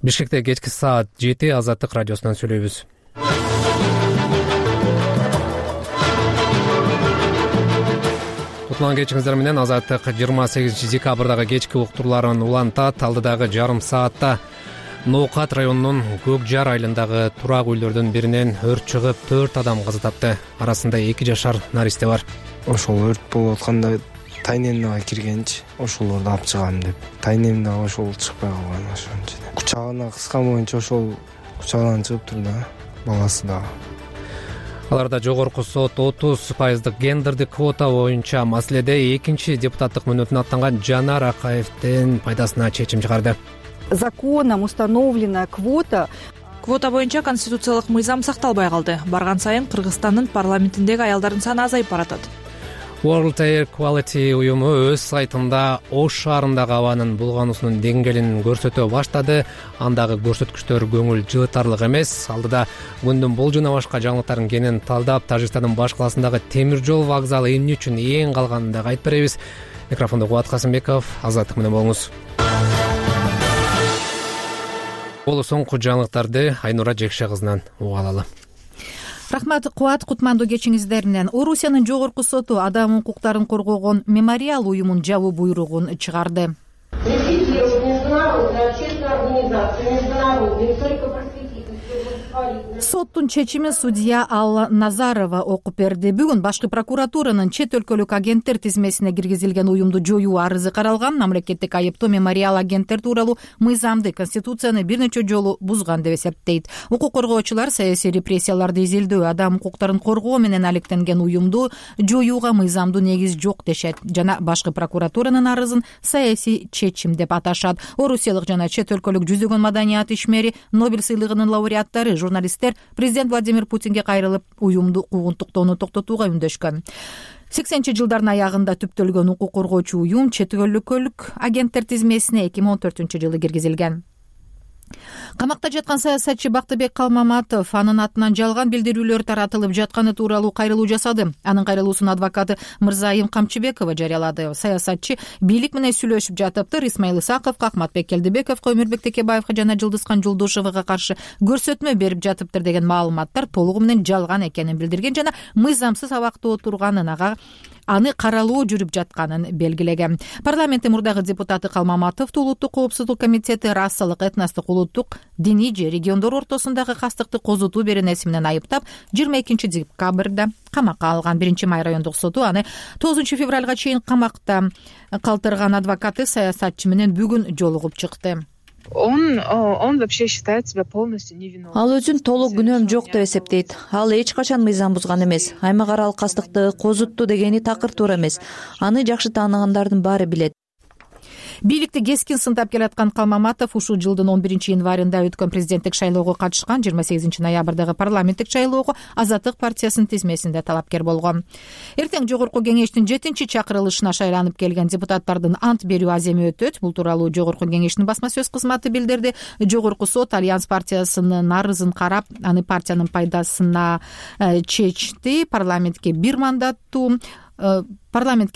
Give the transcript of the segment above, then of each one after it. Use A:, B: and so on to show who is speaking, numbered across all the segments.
A: Бишкекте кечки саат 7 Азаттык радиосунан сүйлөйбүз. Кутман кечиңиздер менен Азаттык 28 декабрдагы кечки уктурларын улантат. Алдыдагы жарым саатта Ноокат районунун Көк Жар айылындагы турак үйлөрдүн биринен өрт чыгып 4 адам каза тапты. Арасында 2 жашар наристе бар.
B: Ошол өрт болуп атканда тайнемге киргенчи, ошолорду алып чыгам деп. Тайнем да ошол чыкпай калган ошончо. Кучагына кыскан боюнча ошол кучагынан чыгыптыр да, баласы да.
A: Аларда жогорку сот 30% гендердик квота боюнча маселеде экинчи депутаттык мөөнөтүнө аттанган Жанар Акаевдин пайдасына чечим чыгарды.
C: Законом установлена квота
D: боюнча конституциялык мыйзам сакталбай калды. Барган сайын Кыргызстандын парламентиндеги аялдардын саны азайып баратат.
A: World Air Quality уюму өз сайтында Ош шаарындагы абанын булгануусунун деңгээлин көрсөтө баштады. Андагы көрсөткүчтөр көңүл жылытарлык эмес. Алдыда күндүн бул жана башка жаңылыктарын кенен талдап, Тажикстандын баш каласындагы темир жол вокзалы эмне үчүн эң калганын дагы айтып беребиз. Микрофондо Кубат Касымбеков, Азаттык менен болуңуз. Бул соңку жаңылыктарды Айнура Жекше кызынан уга алалы.
E: Рахмат, Кубат. Кутмандуу кечиңиздер менен. Орусиянын жогорку соту адам укуктарын коргогон мемориал уюмун жабуу буйругун чыгарды. Соттун чечимин судья Алла Назарова окуп берди. Бүгүн башкы прокуратуранын чет өлкөлүк агенттер тизмесине киргизилген уюмду жоюу арызы каралган. Мамлекеттик айыптоо мемориал агенттер тууралуу мыйзамды, конституцияны бир нече жолу бузган деп эсептейт. Укук коргоочулар саясий репрессияларды изилдөө, адам укуктарын коргоо менен алектенген уюмду жоюуга мыйзамдуу негиз жок дешет жана башкы прокуратуранын арызын саясий чечим деп аташат. Орусиялык жана чет өлкөлүк жүзөгөн маданият ишмери, Нобель сыйлыгынын лауреаттары, журналисттер президент Владимир Путинге кайрылып, уюмду куугунтуктоону токтотууга үндөшкөн. 80 жылдардын аягында түптөлгөн укук коргоочу уюм чет өлкөлүк агенттер тизмесине 2014-жылы киргизилген. Камакта жаткан саясатчы Бактыбек Калмаматов анын атынан жалган билдирүүлөр таратылып жатканы тууралуу кайрылуу жасады. Анын кайрылуусун адвокаты Мырзайым Камчыбекова жарыялады. Саясатчы бийлик менен сүйлөшүп жатыптыр. Исмаил Исаковго, Акматбек Келдибековго, Өмүрбек Текебаевга жана Жылдызкан Жолдошового каршы көрсөтмө берип жатыптыр деген маалыматтар толугу менен жалган экенин билдирген жана мыйзамсыз абакта отурганын, аны каралуу жүрүп жатканын белгилеген. Парламенттин мурдагы депутаты Калмаматов Улуттук коопсуздук комитети расалык, этностук, улуттук, диний же региондор ортосундагы кастыкты козутуу беренеси менен айыптап 22 декабрда камакка алган. 1-Май райондук соту аны 9 февралга чейин камакта калтырган. Адвокаты саясатчы менен бүгүн жолугуп чыкты.
F: Он вообще считает себя полностью невиновным.
G: Ал өзүн толук күнөөм жок деп эсептейт. Ал эч качан мыйзам бузган эмес. Аймак аралык кастыкты козутту дегени такыр туура эмес. Аны жакшы тааныгандардын баары билет.
E: Бийликти кескин сындап келаткан Калмаматов ушул жылдын 11 январында өткөн президенттик шайлоого катышкан. 28 ноябрдагы парламенттик шайлоого Азаттык партиясынын тизмесинде талапкер болгон. Эртең жогорку кеңештин 7-чакырылышына шайланып келген депутаттардын ант берүү аземи өтөт. Бул тууралуу жогорку кеңештин басма сөз кызматы билдирди. Жогорку сот Альянс партиясынын арызын карап, аны партиянын пайдасына чечти. Парламентке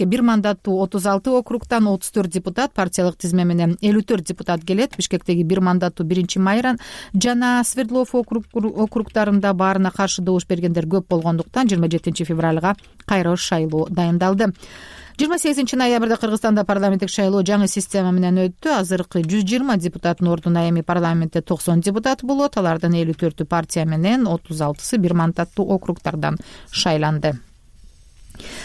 E: бир мандаттуу 36 округтан 34 депутат, партиялык тизме менен 54 депутат келет. Бишкектеги бир мандаттуу 1-Майран жана Свердлов округтарында баарына каршы добуш бергендер көп болгондуктан 27 февралга кайра шайлоо дайындалды. 28 ноябрда Кыргызстанда парламенттик шайлоо жаңы система менен өттү. Азыркы 120 депутаттын ордуна эми парламентте 90 депутат болот. Алардын 54 партия менен 36 бир мандаттуу округтардан шайланды.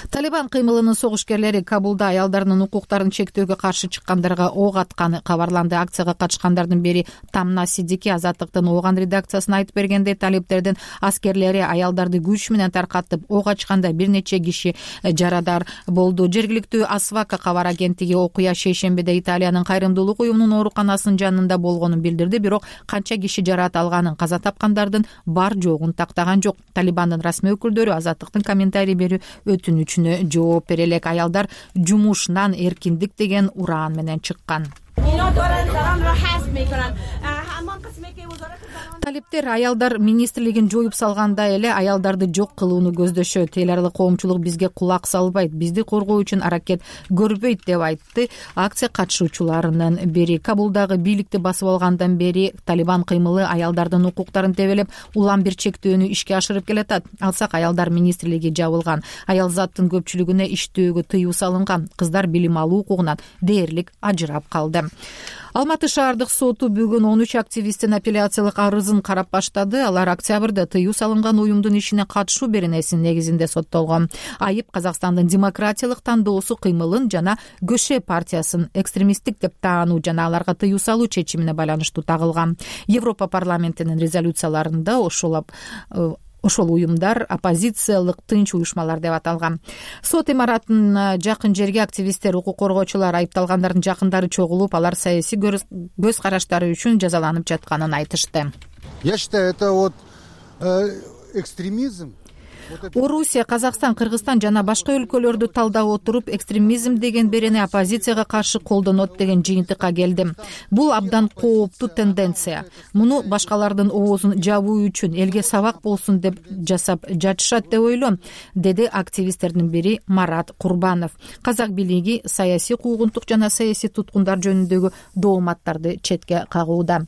E: Талибан кыймылынын согушкерлери Кабулда аялдарынын укуктарын чектөөгө каршы чыккандарга ок атканы кабарланды. Акцияга катышкандардын бири Тамна Сидики Азаттыктын Ооган редакциясына айтып бергенде, талиптердин аскерлери аялдарды күч менен таркатып ок ачканда бир нече киши жарадар болду. Жергиликтүү Асвака кабар агенттиги окуя шейшембиде Италиянын кайрымдуулук уюмунун ооруканасынын жанында болгонун билдирди, бирок канча киши жарат алганын, каза тапкандардын бар жогун тактаган жок. Талибандын расмий өкүлдөрү Азаттыктын комментарий берүү өтүнүчүнө жооп бере элек. Аялдар жумушунан эркиндик деген ураан менен чыккан. талиптер аялдар министрлигин жоюп салгандай эле аялдарды жок кылууну көздөшөт. Эл аралык коомчулук бизге кулак салбайт, бизди коргоо үчүн аракет көрбөйт деп айтты акция катышуучуларынын бири. Кабулдагы бийликти басып алгандан бери Талибан кыймылы аялдардын укуктарын тебелеп, улам бир чектөөнү ишке ашырып келатат. Алсак аялдар министрлиги жабылган. Аял заттын көпчүлүгүнө иштөөгө тыюу салынган. Кыздар билим алуу укугунан дээрлик ажырап калды. Алматы шаардык соту бүгүн 13 активисттин апелляциялык арызын карап баштады. Алар октябрда тыюу салынган уюмдун ишине катышуу беренесинин негизинде соттолгон. Айып Казакстандын демократиялык тандоосу кыймылын жана КөШ партиясын экстремисттик деп таануу жана аларга тыюу салуу чечимине байланыштуу тагылган. Европа парламентинин резолюцияларында ошол уюмдар оппозициялык тынч уюшмалар деп аталган. Сот имаратынын жакын жерге активисттер, укук коргоочулар, айыпталгандардын жакындары чогулуп, алар саясий көз караштары үчүн жазаланып жатканын айтышты.
H: Я считаю, это вот экстремизм.
E: Орусия, Казакстан, Кыргызстан жана башка өлкөлөрдү талдап отуруп, экстремизм деген берени оппозицияга каршы колдонот деген жыйынтыкка келдим. Бул абдан кооптуу тенденция. Муну башкалардын оозун жабуу үчүн, элге сабак болсун деп жасап жатышат деп ойлойм, деди активисттердин бири Марат Курбанов. Казак бийлиги саясий куугунтук жана саясий туткундар жөнүндөгү дооматтарды четке кагууда.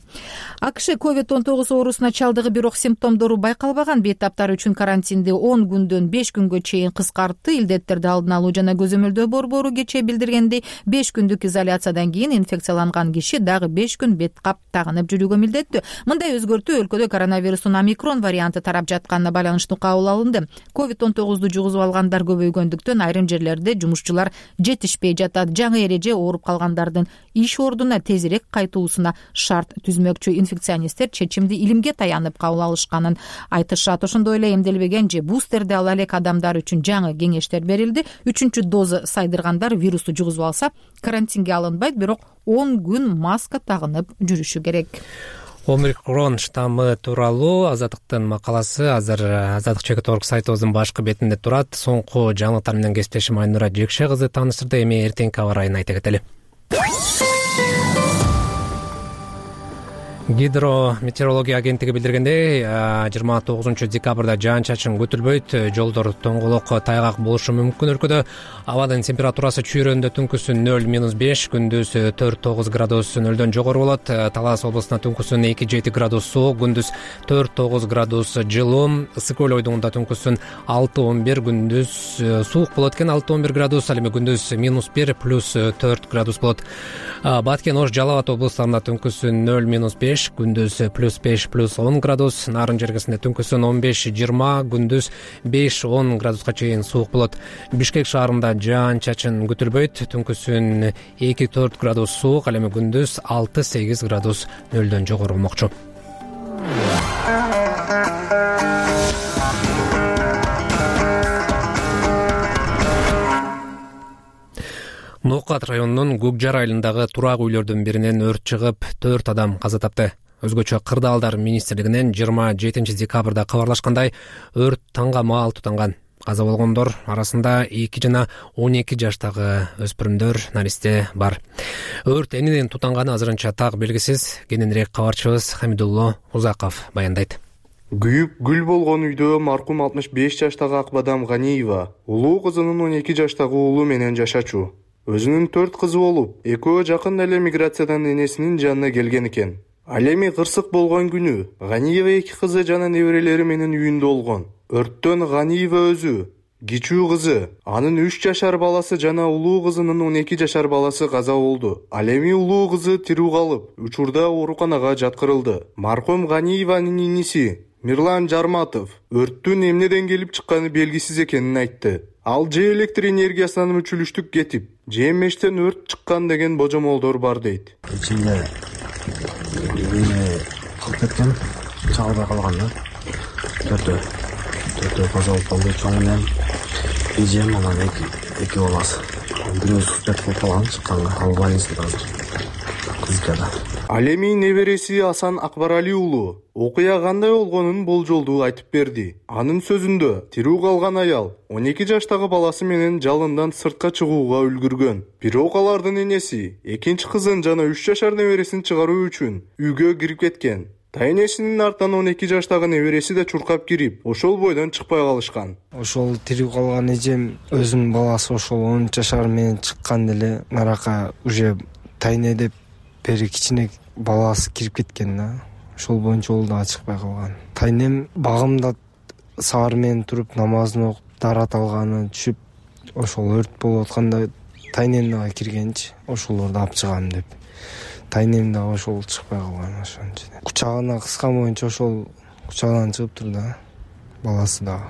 E: АКШ COVID-19 оорусуна чалдыгы, бирок симптомдору байкалбаган бейтаптар үчүн карантинди 10 күндөн 5 күнгө чейин кыскартты. Илдеттерди алдын алуу жана көзөмөлдөө борбору кечээ билдиргендей, 5 күндүк изоляциядан кийин инфекцияланган киши дагы 5 күн бет кап тагынып жүрүүгө милдеттүү. Мындай өзгөртүү өлкөдө коронавирустун омикрон варианты тарап жатканына байланыштуу кабыл алынды. COVID-19 жугузуп алгандар көбөйгөндүктөн айрым жерлерде жумушчулар жетишпей жатат. Жаңы эреже ооруп калгандардын иш ордуна тезирээк кайтуусуна шарт түзмөкчү. Инфекционисттер чечимди илимге таянып кабыл алышканын айтышат. Ошондой эле эмделбеген же бустерди ала элек адамдар үчүн жаңы кеңештер берилди. 3-чү доза сайдыргандар вирусту жугузуп алса карантинге алынбайт, бирок 10 күн маска тагынып жүрүшү керек.
A: Омикрон штаммы тууралуу Азаттыктын макаласы азыр azadlik.org сайтыбыздын башкы бетинде турат. Соңку жаңылыктар менен кесиптешим Айнура Жекше кызы тааныштырды. Эми эртеңки аба ырайын айта кетели. Гидрометеорология агенттиги билдиргендей, 29 декабрда жаан-чачын күтүлбөйт, жолдор тоңголок, тайгак болушу мүмкүн. Өлкөдө абадын температурасы чүйрөндө түнкүсүн 0-5, күндүз 4-9 градус нөлдөн жогору болот. Талас облусунда түнкүсүн 2-7 градус суук, күндүз 4-9 градус жылуу. Ысык көл ойдугунда түнкүсүн 6-11, күндүз суук болот экен, 6-11 градус, ал эми күндүз -1 +4 градус болот. Баткен, Ош, Жалал Абад облустарында түнкүсүн 0-5, күндүз +5 +10 градус, Нарын жергесинде түнкүсүн 15-20, күндүз 5-10 градуска чейин суук болот. Бишкек шаарында жаан-чачын күтүлбөйт, түнкүсүн 2-4 градус суук, ал эми күндүз 6-8 градус нөлдөн жогору болмокчу. Нокат районунун Көкжар айылындагы турак үйлөрдүн биринен өрт чыгып, 4 адам каза тапты. Өзгөчө кырдаалдар министрлигинен 27 декабрда кабарлашкандай, өрт таңга маал тутанган. Каза болгондор арасында 2 жана 12 жаштагы өспүрүмдөр, наристе бар. Өрт эмнеден тутанганы азырынча так белгисиз. Кененирээк кабарчыбыз Хамидулло Узаков баяндайт.
I: Күйүп гүл болгон үйдө маркум 65 жаштагы Акбадам Ганиева улуу кызынын 12 жаштагы уулу менен жашачу. Өзүнүн 4 кызы болуп, экөө жакын эле миграциядан энесинин жанына келген экен. Ал эми кырсык болгон күнү Ганиева 2 кызы жана неберелери менен үйүндө болгон. Өрттөн Ганиева өзү, кичүү кызы, анын 3 жашар баласы жана улуу кызынын 12 жашар баласы каза болду. Ал эми улуу кызы тирүү калып, учурда ооруканага жаткырылды. Маркум Ганиеванын иниси Мирлан Жарматов өрттүн эмнеден келип чыкканы белгисиз экенин айтты. Ал же электр энергиясынан мүчүлүштүк кетип, же мештен өрт чыккан деген божомолдор бар дейт.
B: Ичинде кылып кеткен, чалбай калган да. Төртөө каза болуп калды, чоң менен эжем, анан эки баласы. Бирөө суспет болуп калган, чыкканга ал больницада азыр. Кызыкада.
I: Ал эми небереси Асан Акбарали уулу окуя кандай болгонун болжолдуу айтып берди. Анын сөзүндө, тирүү калган аял 12 жаштагы баласы менен жалындан сыртка чыгууга үлгүргөн. Бирок алардын энеси экинчи кызын жана 3 жашар небересин чыгаруу үчүн үйгө кирип кеткен. Тайнесинин артынан 12 жаштагы небереси да чуркап кирип, ошол бойдон чыкпай калышкан.
B: Ошол тирүү калган эжем өзүнүн баласы ошол 10 жашар менен чыккан деле нарака уже тайне деп бери кичине баласы кирип кеткен да. Ошол боюнча ол дагы чыкпай калган. Тайнем багымда саар менен туруп намазын окуп, дарат алганы түшүп, ошол өрт болуп атканда тайнем дагы киргенчи, ошолорду алып чыгам деп. Тайнем дагы ошол чыкпай калган ошончо. Кучагына кыскан боюнча ошол кучагынан чыгыптыр да, баласы дагы.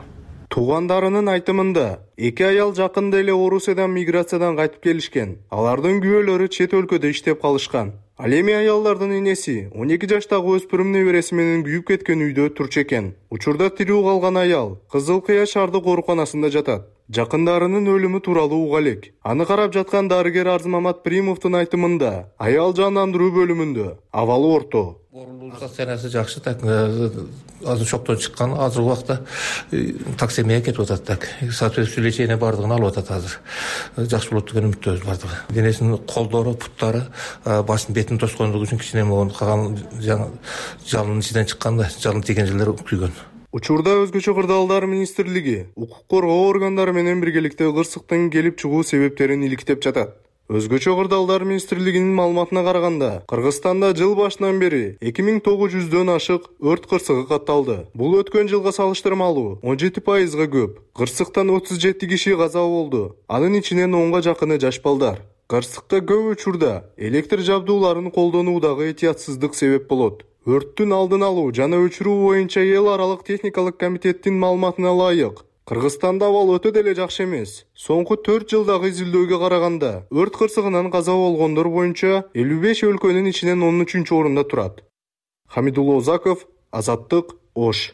I: Туугандарынын айтымында, эки аял жакында эле Орусиядан миграциядан кайтып келишкен. Алардын күбөлөрү чет өлкөдө иштеп калышкан. Ал эми аялдардын энеси 12 жаштагы өспүрүм небереси менен күйүп кеткен үйдө турчу экен. Учурда тирүү калган аял Кызыл Кыя шаардык ооруканасында жатат. Жакындарынын өлүмү тууралуу уга элек. Аны карап жаткан дарыгер Арзымамат Примовдун айтымында, аял жандандыруу бөлүмүндө, абалы орто.
H: Оорулуу состояниясы жакшы, так азыр шоктон чыккан, азыр убакта таксемияга кетип атат, так. Соответствующий лечение бардыгын алып атат азыр. Жакшы болот деген үмүттөбүз бардыгы. Денесинин колдору, буттары, башын бетин тоскондугу үчүн кичине болгон, калган жалынын ичинен чыккан да, жалын тийген жерлер күйгөн.
I: Учурда Өзгөчө кырдаалдар министрлиги укук коргоо органдары менен биргеликте кырсыктын келип чыгуу себептерин иликтеп жатат. Өзгөчө кырдаалдар министрлигинин маалыматына караганда, Кыргызстанда жыл башынан бери 2900дөн ашык өрт кырсыгы катталды. Бул өткөн жылга салыштырмалуу 17%га көп. Кырсыктан 37 киши каза болду. Анын ичинен 10га жакыны жаш балдар. Кырсыкка көп учурда электр жабдууларын колдонуудагы этиятсыздык себеп болот. Өрттүн алдын алуу жана өчүрүү боюнча эл аралык техникалык комитеттин маалыматына ылайык, Кыргызстанда абал өтө деле жакшы эмес. Соңку 4 жылдагы изилдөөгө караганда, өрт кырсыгынан каза болгондор боюнча 55 өлкөнүн ичинен 13-орунда турат. Хамидулла Озаков, Азаттык, Ош.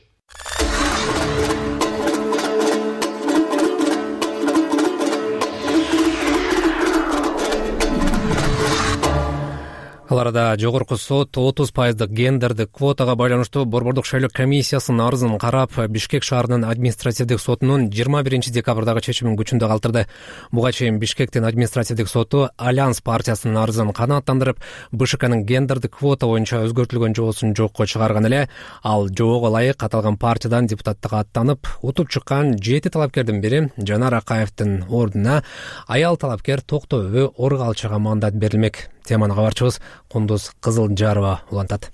A: Ал арада жогорку сот 30% гендердик квотага байланыштуу Борбордук шайлоо комиссиясынын арызын карап, Бишкек шаарынын административдик сотунун 21 декабрдагы чечимин күчүндө калтырды. Буга чейин Бишкектин административдик соту Альянс партиясынын арызын канааттандырып, БШКнын гендердик квота боюнча өзгөртүлгөн жобосун жокко чыгарган эле. Ал жобого ылайык аталган партиядан депутаттыкка аттанып, утуп чыккан 7 талапкердин бири Жанар Акаевдин ордуна аял талапкер Токтобү Оргалчага мандат берилмек. Теманы кабарчыбыз Кундуз Кызылжарова улантат.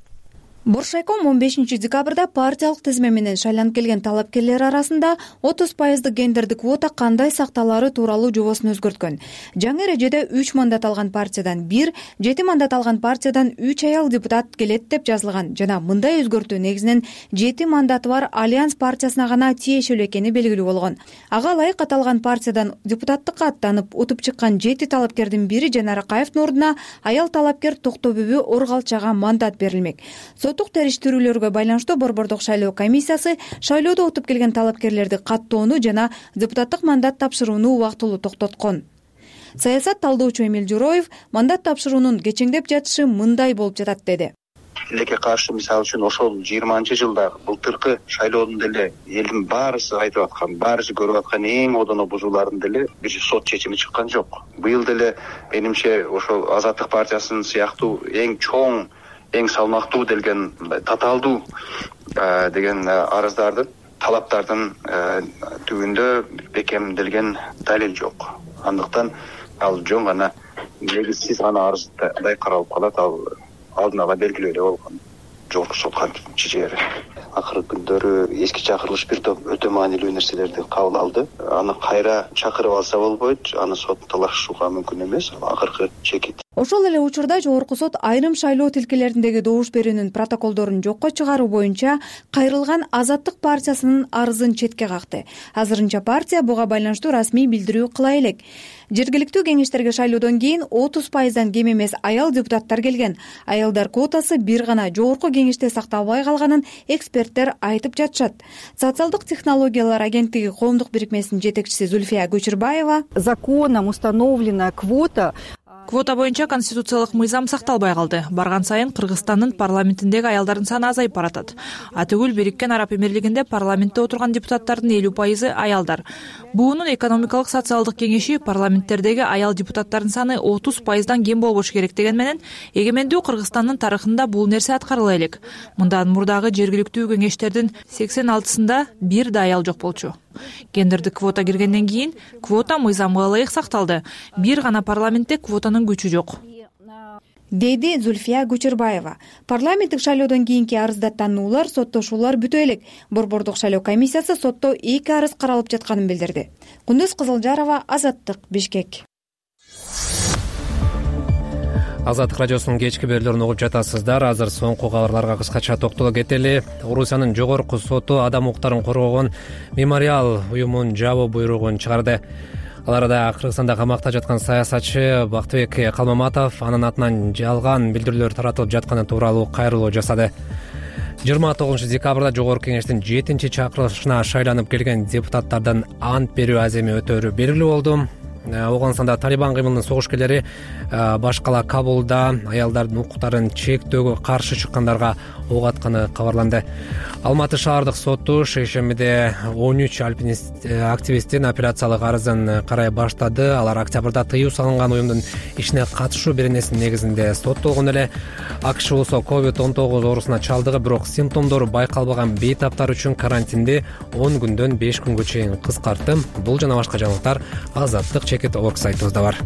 J: Боршайком 15 декабрда партиялык тизме менен шайланып келген талапкерлер арасында 30% гендердик квота кандай сакталары тууралуу жобосун өзгөрткөн. Жаңы эрежеде 3 мандат алган партиядан 1, 7 мандат алган партиядан 3 аял депутат келет деп жазылган жана мындай өзгөртүү негизинен 7 мандаты бар Альянс партиясына гана тиешелүү экени белгилүү болгон. Ага ылайык аталган партиядан депутаттыкка аттанып утуп чыккан 7 талапкердин бири Жанар Акаевдин ордуна аял талапкер Токтобү Оргалчага мандат берилмек. Соттук териштирүүлөргө байланыштуу Борбордук шайлоо комиссиясы шайлоодо утуп келген талапкерлерди каттоону жана депутаттык мандат тапшырууну убактылуу токтоткон. Саясат талдоочу Эмил Журоев мандат тапшыруунун кечеңдеп жатышы мындай болуп жатат деди.
K: Тилекке каршы мисалы үчүн ошол 20-жылда былтыркы шайлоодун деле элдин баарысы айтып аткан, баарысы көрүп аткан эң одоно бузуулардын деле бир сот чечими чыккан жок. Быйыл деле менимче ошол Азаттык партиясынын сыяктуу эң чоң, эң салмактуу делген татаалдуу деген арыздардын, талаптардын түбүндө бекемделген далил жок. Андыктан ал жөн гана негизсиз гана арыздай каралып калат, ал алдын ала белгилүү эле болгон жогорку сотко чечери. Акыркы күндөрү эски чакырылыш бир топ өтө маанилүү нерселерди кабыл алды. Аны кайра чакырып алса болбойт, аны сот талашууга мүмкүн эмес, акыркы чекит.
J: Ошол эле учурда жогорку сот айрым шайлоо тилкелериндеги добуш берүүнүн протоколдорун жокко чыгаруу боюнча кайрылган Азаттык партиясынын арызын четке какты. Азырынча партия буга байланыштуу расмий билдирүү кыла элек. Жергиликтүү кеңештерге шайлоодон кийин 30%дан кем эмес аял депутаттар келген. Аялдар квотасы бир гана жогорку кеңеште сакталбай калганын эксперттер айтып жатышат. Социалдык технологиялар агенттиги коомдук бирикмесинин жетекчиси Зульфия Көчүрбаева:
C: законом установлена квота.
D: Квота боюнча конституциялык мыйзам сакталбай калды. Барган сайын Кыргызстандын парламентиндеги аялдардын саны азайып баратат. Атүгүл Бириккен Араб Эмирлигинде парламентте отурган депутаттардын 50% аялдар. Буунун экономикалык социалдык кеңеши парламенттердеги аял депутаттардын саны 30%дан кем болбош керек деген менен эгемендүү Кыргызстандын тарыхында бул нерсе аткарыла элек. Мындан мурдагы жергиликтүү кеңештердин 86-ында бир да аял жок болчу. Гендердик квота киргенден кийин квота мыйзамга ылайык сакталды. Бир гана парламентте квотанын күчү жок,
J: деди Зульфия Кучурбаева. Парламенттик шайлоодон кийинки арыздаттануулар, соттошуулар бүтө элек. Борбордук шайлоо комиссиясы сотто 2 арыз каралып жатканын билдирди. Кундуз Кызылжарова, Азаттык, Бишкек.
A: Азаттык радиосунун кечки берүүлөрүн угуп жатасыздар. Азыр соңку кабарларга кыскача токтоло кетели. Орусиянын жогорку соту адам укуктарын коргогон мемориал уюмунун жабуу буйругун чыгарды. Ал арада Кыргызстанда камакта жаткан саясатчы Бактыбек Калмаматов анын атынан жалган билдирүүлөр таратылып жатканы тууралуу кайрылуу жасады. 29 декабрда жогорку кеңештин 7-чакырылышына шайланып келген депутаттардан ант берүү аземи өтөөрү белгилүү болду. Оголстанда Талибан кыймылынын согушкерлери башкала Кабулда аялдардын укуктарын чектөөгө каршы чыккандарга ок атканы кабарланды. Алматы шаардык соту шейшембиде 13 активисттин апелляциялык арызын карай баштады. Алар октябрда тыюу салынган уюмдун ишине катышуу беренесинин негизинде соттолгон эле. АКШ болсо COVID-19 оорусуна чалдыгып, бирок симптомдору байкалбаган бейтаптар үчүн карантинди 10 күндөн 5 күнгө чейин кыскартты. Бул жана башка жаңылыктар Азаттык Чекет.орг сайтыбызда бар.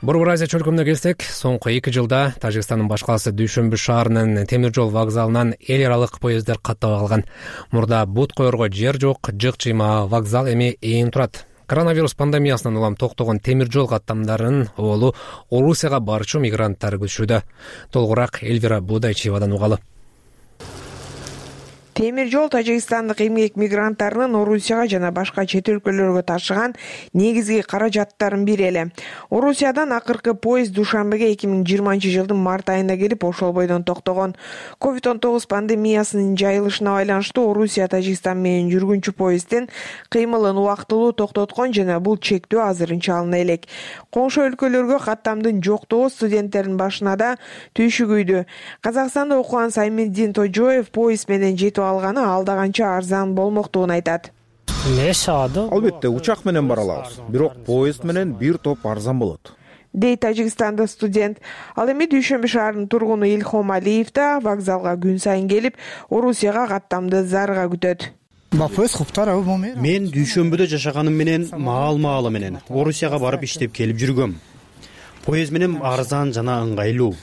A: Борбор Азия чөлкөмүнө келсек, соңку 2 жылда Тажикстандын баш каласы Дүйшөмбү шаарынын темир жол вокзалынан эл аралык поезддер каттабай калган. Мурда бут коерго жер жок, жык-чыйма вокзал эми ээн турат. Коронавирус пандемиясынан улам токтогон темир жол каттамдарынын оолу Орусияга барчу мигранттар күтүшүүдө. Толугураак Эльвира Будайчиевадан угалы.
L: Темир жол Тажикстандык эмгек мигранттарынын Орусияга жана башка чет өлкөлөргө ташыган негизги каражаттарын бири эле. Орусиядан акыркы поезд Душанбеге 2020-жылдын март айында келип, ошол бойдон токтогон. COVID-19 пандемиясынын жайылышына байланыштуу Орусия Тажикстан менен жүргүнчү поезддин кыймылын убактылуу токтоткон жана бул чектөө азырынча алына элек. Коңшу өлкөлөргө каттамдын жоктугу студенттердин башына да түйшүгүйдү. Казакстанда окуган Саймиддин Тожоев поезд менен жетип алганы алда канча арзан болмоктугун айтат.
M: Албетте учак менен бара алабыз, бирок поезд менен бир топ арзан болот,
L: дейт Тажикстанда студент. Ал эми Дүйшөмбү шаарынын тургуну Илхом Алиев да вокзалга күн сайын келип, Орусияга каттамды зарыга күтөт.
N: Мен Дүйшөмбүдө жашаганым менен маал-маалы менен Орусияга барып иштеп келип жүргөм. Поезд менен арзан жана ыңгайлуу.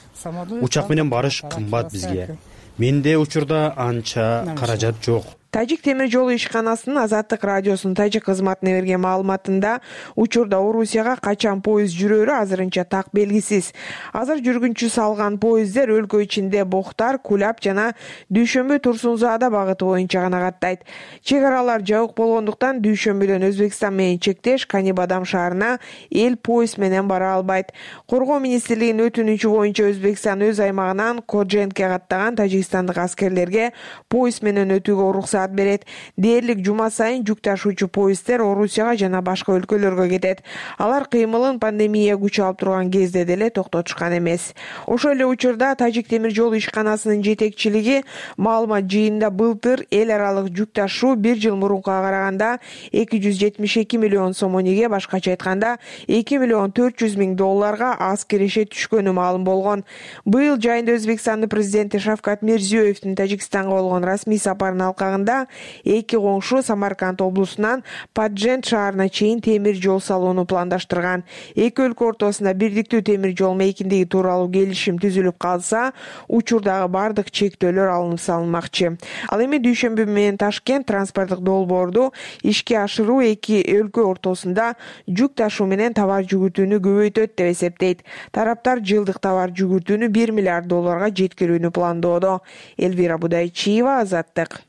N: Учак менен барыш кымбат бизге. Менде учурда анча каражат жок.
L: Тажик темир жолу ишканасынын Азаттык радиосунун тажик кызматына берген маалыматында учурда Орусияга качан поезд жүрөрү азырынча так белгисиз. Азыр жүргүнчү салган поезддер өлкө ичинде Бохтар, Кулап жана Дүйшөмбү Турсунзаада багыты боюнча гана каттайт. Чек аралар жабык болгондуктан Дүйшөмбүдөн Өзбекстан менен чектеш Канибадам шаарына эл поезд менен бара албайт. Коргоо министрлигинин өтүнүчү боюнча Өзбекстан өз аймагынан Коджентке каттаган тажикстандык аскерлерге поезд менен өтүүгө уруксат берет. Дээрлик жума сайын жүк ташуучу поезддер Орусияга жана башка өлкөлөргө кетет. Алар кыймылын пандемия күч алып турган кезде деле токтотушкан эмес. Ошол эле учурда Тажик темир жолу ишканасынын жетекчилиги маалымат жыйынында былтыр эл аралык жүк ташуу 1 жыл мурункуга караганда 272 миллион сомонеге, башкача айтканда 2 миллион 400 миң долларга аз киреше түшкөнү маалым болгон. Быйыл жайында Өзбекстандын президенти Шавкат Мирзиёевдин Тажикстанга болгон расмий сапарынын алкагында эки коңшу Самарканд облусунан Паджент шаарына чейин темир жол салууну пландаштырган. Эки өлкө ортосунда бирдиктүү темир жол мейкиндиги тууралуу келишим түзүлүп калса, учурдагы бардык чектөөлөр алынып салынмакчы. Ал эми Дүйшөмбү менен Ташкент транспорттук долбоорду ишке ашыруу эки өлкө ортосунда жүк ташуу менен товар жүгүртүүнү көбөйтөт деп эсептейт. Тараптар жылдык товар жүгүртүүнү 1 миллиард долларга жеткирүүнү пландоодо. Эльвира Будайчиева, Азаттык.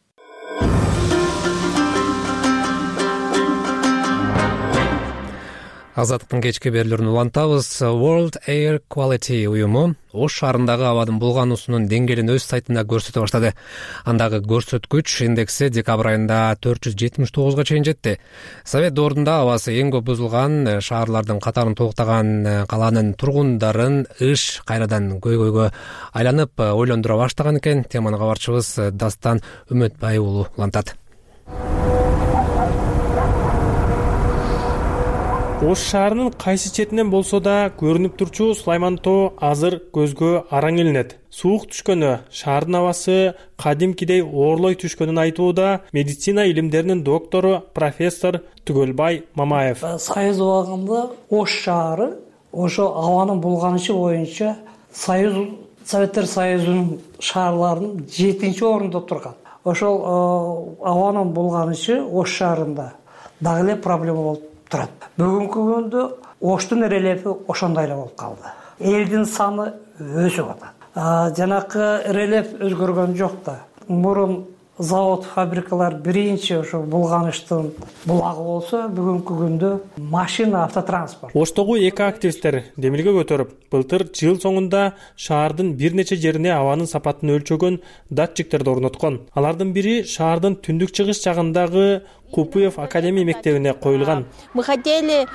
A: Азаттыктын кечки берүүлөрүн улантабыз. World Air Quality уюму Ош шаарындагы абадын булгануусунун деңгээлин өз сайтында көрсөтө баштады. Андагы көрсөткүч индекси декабрь айында 479 чейин жетти. Совет доорунда абасы эң көп бузулган шаарлардын катарын толуктаган каланын тургундарын ыш кайрадан көйгөйгө айланып ойлондура баштаган экен. Теманы кабарчыбыз Дастан Үмөтбай уулу улантат.
O: Ош шаарынын кайсы четинен болсо да көрүнүп турчу Сулайман тоо азыр көзгө араң илинет. Суук түшкөнү, шаардын абасы кадимкидей оорлой түшкөнүн айтууда медицина илимдеринин доктору профессор Түгөлбай Мамаев.
P: Союз убагында Ош шаары ошо абанын булганышы боюнча Советтер Союзунун шаарларынын 7-орунда турган. Ошол абанын булганышы Ош шаарында дагы эле проблема болуп турат. Бүгүнкү күндө Оштун рельефи ошондой эле болуп калды. Элдин саны өсүп атат. Жанакы рельеф өзгөргөн жок да. Мурун завод, фабрикалар биринчи ошо булганыштын булагы болсо, бүгүнкү күндө машина, автотранспорт.
O: Оштогу эки активисттер демилге көтөрүп, былтыр жыл соңунда шаардын бир нече жерине абанын сапатын өлчөгөн датчиктерди орноткон. Алардын бири шаардын түндүк чыгыш жагындагы Купуев академия мектебине коюлган.
Q: Мы хотели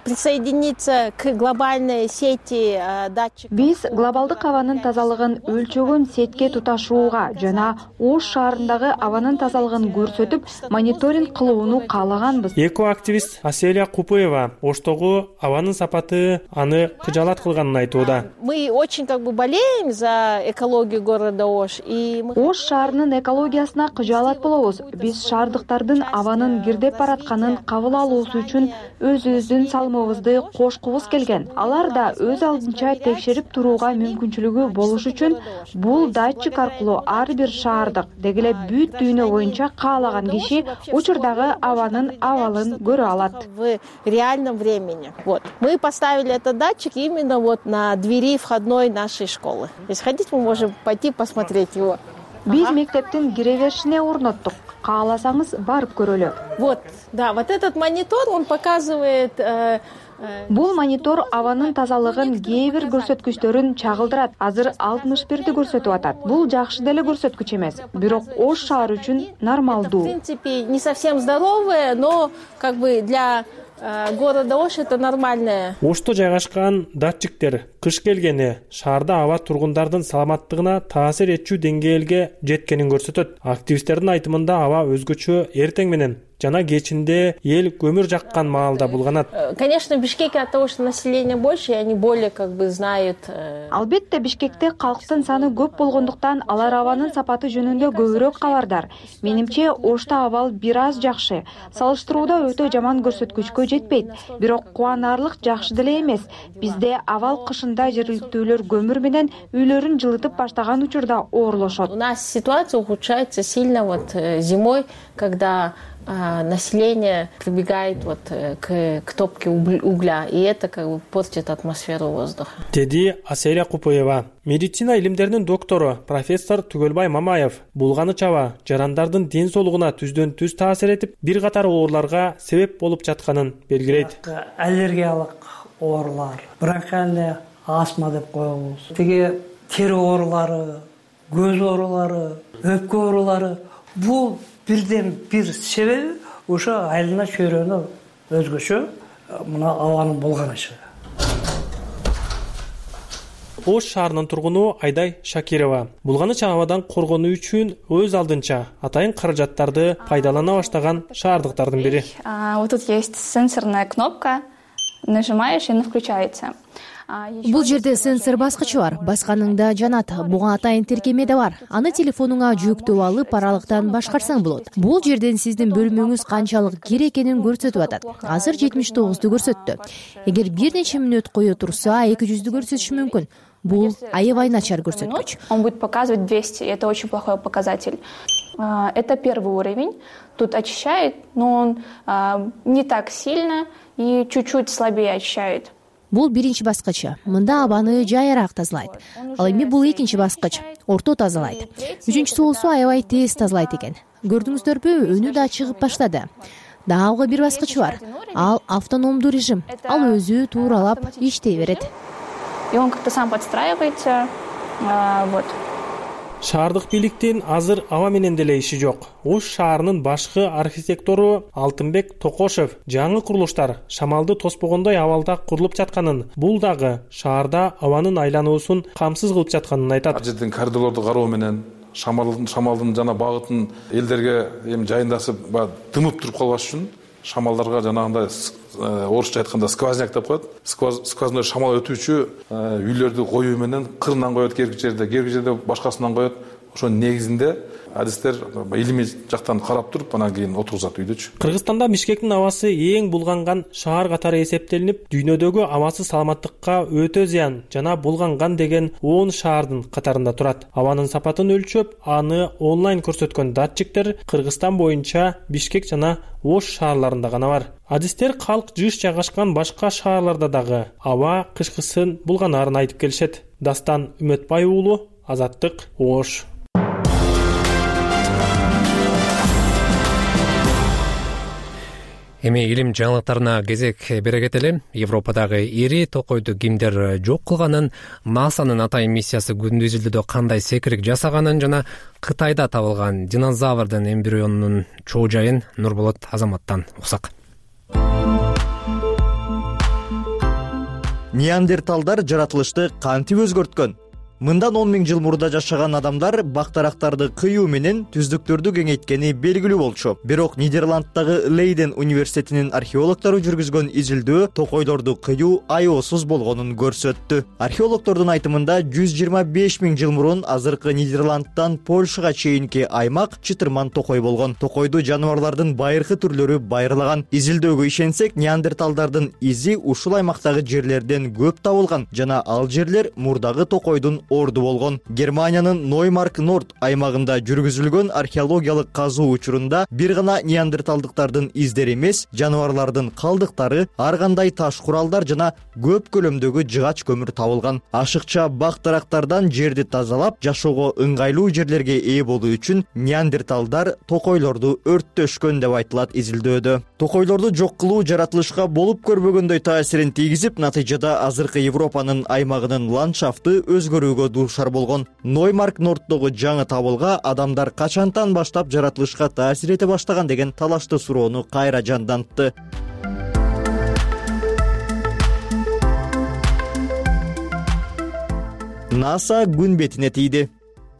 Q: присоединиться к глобальной сети датчиков.
J: Биз глобалдык абанын тазалыгын өлчөгөн сетке туташууга жана Ош шаарындагы абанын тазалыгын көрсөтүп, мониторинг кылууну каалаганбыз.
O: Эко активист Аселия Купуева Оштогу абанын сапаты аны кыжаалат кылганын айтууда.
Q: Мы очень болеем за экологию города Ош.
J: Ош шаарынын экологиясына кыжаалат болобуз. Биз шаардыктардын абанын кирдеп баратканын кабыл алуусу үчүн өзүбүздүн салымыбызды кошкубуз келген. Алар да өз алдынча текшерип турууга мүмкүнчүлүгү болуш үчүн бул датчик аркылуу ар бир шаардык деги эле бүт дүйнө боюнча каалаган киши учурдагы абанын абалын көрө алат.
Q: В реальном времени. Мы поставили этот датчик именно на двери входной нашей школы. Если хотите, мы можем пойти посмотреть его.
J: Биз мектептин кире беришине орноттук. Кааласаңыз барып көрөлү.
Q: Вот этот монитор, он показывает.
J: Бул монитор абанын тазалыгын кээ бир көрсөткүчтөрүн чагылдырат. Азыр 61-ди көрсөтүп атат. Бул жакшы деле көрсөткүч эмес, бирок Ош шаары үчүн нормалдуу.
Q: В принципе, не совсем здоровое, но для города Ош это нормальное.
O: Ошто жайгашкан датчиктер кыш келгени шаарда аба тургундардын саламаттыгына таасир этчү деңгээлге жеткенин көрсөтөт. Активисттердин айтымында аба өзгөчө эртең менен жана кечинде эл көмүр жаккан маалда булганат.
Q: Конечно, в Бишкеке от того, что население больше, и они более знают.
J: Албетте Бишкекте калктын саны көп болгондуктан алар абанын сапаты жөнүндө көбүрөөк кабардар. Менимче Ошто абал бир аз жакшы. Салыштырууда өтө жаман көрсөткүчкө жетпейт. Бирок кубанарлык жакшы деле эмес. Бизде абал кышында жергиликтүүлөр көмүр менен үйлөрүн жылытып баштаган учурда оорлошот.
Q: У нас ситуация ухудшается сильно зимой, когда население прибегает к топке угля, и это портит атмосферу воздуха.
O: Деди Аселия Купуева. Медицина илимдеринин доктору профессор Түгөлбай Мамаев булганыч аба жарандардын ден соолугуна түздөн түз таасир этип, бир катар ооруларга себеп болуп жатканын белгилейт.
P: Аллергиялык оорулар, бронхиальный астма деп коебуз. Тиги тери оорулары, көз оорулары, өпкө оорулары, бул бирден бир себеби ошо айлана чөйрөнү өзгөчө мына абанын булганышы.
O: Ош шаарынын тургуну Айдай Шакирова булганыч абадан коргонуу үчүн өз алдынча атайын каражаттарды пайдалана баштаган шаардыктардын бири.
R: Вот тут есть сенсорная кнопка, нажимаешь и она включается.
S: Бул жерде сенсор баскычы бар, басканыңда жанат. Буга атайын тиркеме да бар. Аны телефонуңа жүктөп алып, аралыктан башкарсаң болот. Бул жерден сиздин бөлмөңүз канчалык кир экенин көрсөтүп атат. Азыр 79ду көрсөттү. Эгер бир нече мүнөт кое турса, 200ду көрсөтүшү мүмкүн. Бул аябай начар көрсөткүч.
R: Он будет показывать 200, это очень плохой показатель. Это первый уровень. Тут очищает, но он не так сильно и чуть-чуть слабее очищает.
S: Бул биринчи баскычы. Мында абаны жайыраак тазалайт. Ал эми бул экинчи баскыч. Орто тазалайт. Үчүнчүсү болсо аябай тез тазалайт экен. Көрдүңүздөрбү, өнү да чыгып баштады. Дагы бир баскычы бар. Ал автономдуу режим. Ал өзү тууралап иштей берет.
R: И он как-то сам подстраивается. Вот.
O: Шаардык бийликтин азыр аба менен деле иши жок. Ош шаарынын башкы архитектору Алтынбек Токошев жаңы курулуштар шамалды тоспогондой абалда курулуп жатканын, бул дагы шаарда абанын айлануусун камсыз кылып жатканын айтат.
T: Ал жерден коридорлорду кароо менен шамалдын жана багытын элдерге эми жайындасып дымып туруп калбаш үчүн шамалдарга жанагындай орусча айтканда сквозняк деп коет. Сквозной шамал өтүүчү үйлөрдү коюу менен кырынан коет, керки жерде башкасынан коет. Ошонун негизинде адистер илимий жактан карап туруп анан кийин отургузат үйдөчү.
O: Кыргызстанда Бишкектин абасы эң булганган шаар катары эсептелинип, дүйнөдөгү абасыз саламаттыкка өтө зыян жана булганган деген 10 шаардын катарында турат. Абанын сапатын өлчөп, аны онлайн көрсөткөн датчиктер Кыргызстан боюнча Бишкек жана Ош шаарларында гана бар. Адистер калк жыш жайгашкан башка шаарларда дагы аба кышкысын булганарын айтып келишет. Дастан Үмөтбай уулу, Азаттык, Ош.
A: Эми илим жаңылыктарына кезек бере кетели. Европадагы ири токойду кимдер жок кылганын, НАСАнын атайын миссиясы күндүз изилдөөдө кандай секирик жасаганын жана Кытайда табылган динозаврдын эмбрионунун чоо жайын Нурболот Азаматтан уксак.
U: Неандерталдар жаратылышты кантип өзгөрткөн? Мындан 10 000 жыл мурда жашаган адамдар бактарактарды кыюу менен түздүктөрдү кеңейткени белгилүү болчу. Бирок Нидерланддагы Лейден университетинин археологдору жүргүзгөн изилдөө токойлорду кыюу аеосуз болгонун көрсөттү. Археологдордун айтымында 125 000 жыл мурун азыркы Нидерландтан Польшага чейинки аймак чытырман токой болгон. Токойду жаныбарлардын байыркы түрлөрү байырлаган. Изилдөөгө ишенсек, неандерталдардын изи ушул аймактагы жерлерден көп табылган жана ал жерлер мурдагы токойдун орду болгон. Германиянын Ноймарк Норд аймагында жүргүзүлгөн археологиялык казуу учурунда бир гана неандерталдыктардын издери эмес, жаныбарлардын калдыктары, ар кандай таш куралдар жана көп көлөмдөгү жыгач көмүр табылган. Ашыкча бак-дарактардан жерди тазалап, жашоого ыңгайлуу жерлерге ээ болуу үчүн неандерталдар токойлорду өрттөшкөн деп айтылат изилдөөдө. Токойлорду жок кылуу жаратылышка болуп көрбөгөндөй таасирин тийгизип, натыйжада азыркы Европанын аймагынын ландшафты өзгөрүүгө дуушар болгон. Ноймарк Норддогу жаңы табылга адамдар качантан баштап жаратылышка таасир эте баштаган деген талашты суроону кайра жандантты. НАСА күн бетине тийди.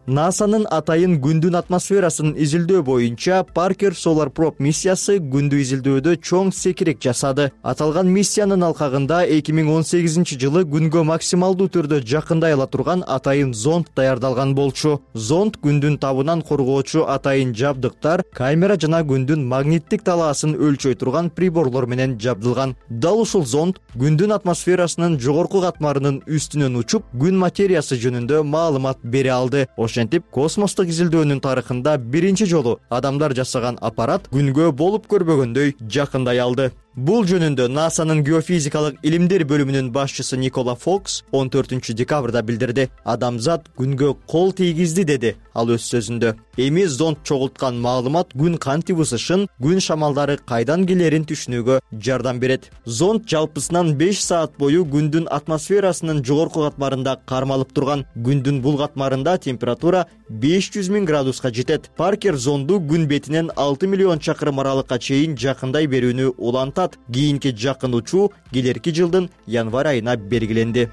U: НАСАнын атайын күндүн атмосферасын изилдөө боюнча Parker Solar Probe миссиясы күндү изилдөөдө чоң секирик жасады. Аталган миссиянын алкагында 2018 жылы күнгө максималдуу түрдө жакындай ала турган атайын зонд даярдалган болчу. Зонд күндүн табынан коргоочу атайын жабдыктар, камера жана күндүн магниттик талаасын өлчөй турган приборлор менен жабдылган. Дал ушул зонд күндүн атмосферасынын жогорку катмарынын үстүнөн учуп, күн материясы жөнүндө маалымат бере алды. Ошентип, космостук изилдөөнүн тарыхында биринчи жолу адамдар жасаган аппарат күнгө болуп көрбөгөндөй жакындай алды. Бул жөнүндө НАСАнын геофизикалык илимдер бөлүмүнүн башчысы Никола Фокс 14 декабрда билдирди. Адамзат күнгө кол тийгизди, деди ал өз сөзүндө. Эми зонд чогулткан маалымат күн кантип ысышын, күн шамалдары кайдан келерин түшүнүүгө жардам берет. Зонд жалпысынан 5 саат бою күндүн атмосферасынын жогорку катмарында кармалып турган. Күндүн бул катмарында температура 500 000 градуска жетет. Паркер зонду күн бетинен 6 миллион чакырым аралыкка чейин жакындай берүүнү улантат. Кийинки жакын учуу келерки жылдын январь айына белгиленди.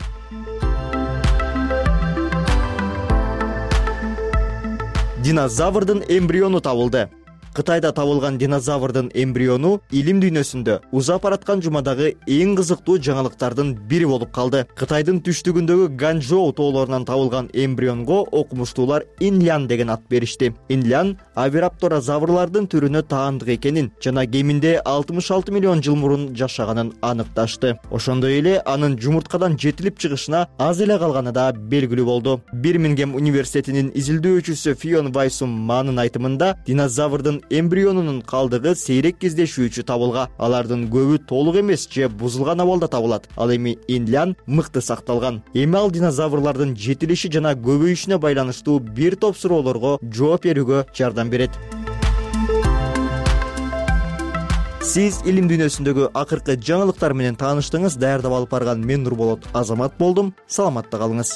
U: Динозаврдын эмбриону табылды. Кытайда табылган динозаврдын эмбриону илим дүйнөсүндө узап бараткан жумадагы эң кызыктуу жаңылыктардын бири болуп калды. Кытайдын түштүгүндөгү Ганчжоу тоолорунан табылган эмбрионго окумуштуулар Инлян деген ат беришти. Инлян авирапторозаврлардын түрүнө таандык экенин жана кеминде 66 миллион жыл мурун жашаганын аныкташты. Ошондой эле анын жумурткадан жетилип чыгышына аз эле калганы да белгилүү болду. Бирмингем университетинин изилдөөчүсү Фион Вайсум Манын айтымында, динозаврдын эмбрионунун калдыгы сейрек кездешүүчү табылга. Алардын көбү толук эмес же бузулган абалда табылат. Ал эми Инлян мыкты сакталган. Эми ал динозаврлардын жетилиши жана көбөйүшүнө байланыштуу бир топ суроолорго жооп берүүгө жардам берет. Сиз илим дүйнөсүндөгү акыркы жаңылыктар менен тааныштыңыз. Даярдап алып барган мен Нурболот Азамат болдум. Саламатта калыңыз.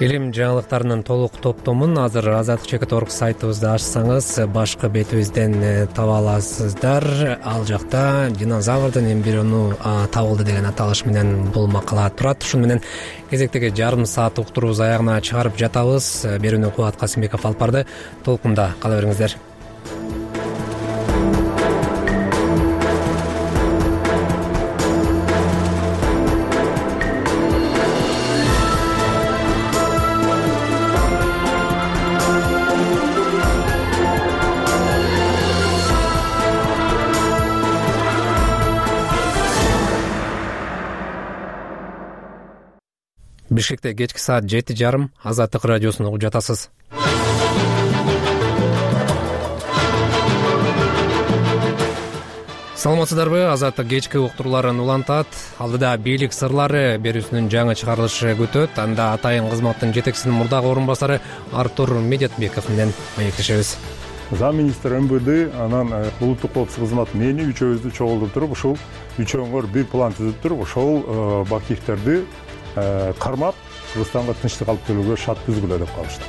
A: Илим жаңылыктарынын толук топтомун азыр azadlik.org сайтыбызды ачсаңыз башкы бетибизден таба аласыздар. Ал жакта динозаврдын эмбриону табылды деген аталыш менен бул макала турат. Ушуну менен кезектеги жарым саат уктуруубуз аягына чыгарып жатабыз. Берүүнү Кубат Касымбеков алып барды. Толкунда кала бериңиздер. Бишкекте кечки саат 7:30 Азаттык радиосун угуп жатасыз. Саламатсыздарбы? Азаттык кечки уктурууларын улантат. Алдыда бийлик сырлары берүүсүнүн жаңы чыгарылышы күтөт. Анда атайын кызматтын жетекчисинин мурдагы орун басары Артур Медетбеков менен маектешебиз.
F: Замминистр МВД анан улуттук коопсуздук кызматы мени үчөөбүздү чогултуп туруп, ушул үчөөңөр бир план түзүп туруп, ошол Бакиевтерди кармап Кыргызстанга тынчтык алып келүүгө шарт түзгүлө деп калышты.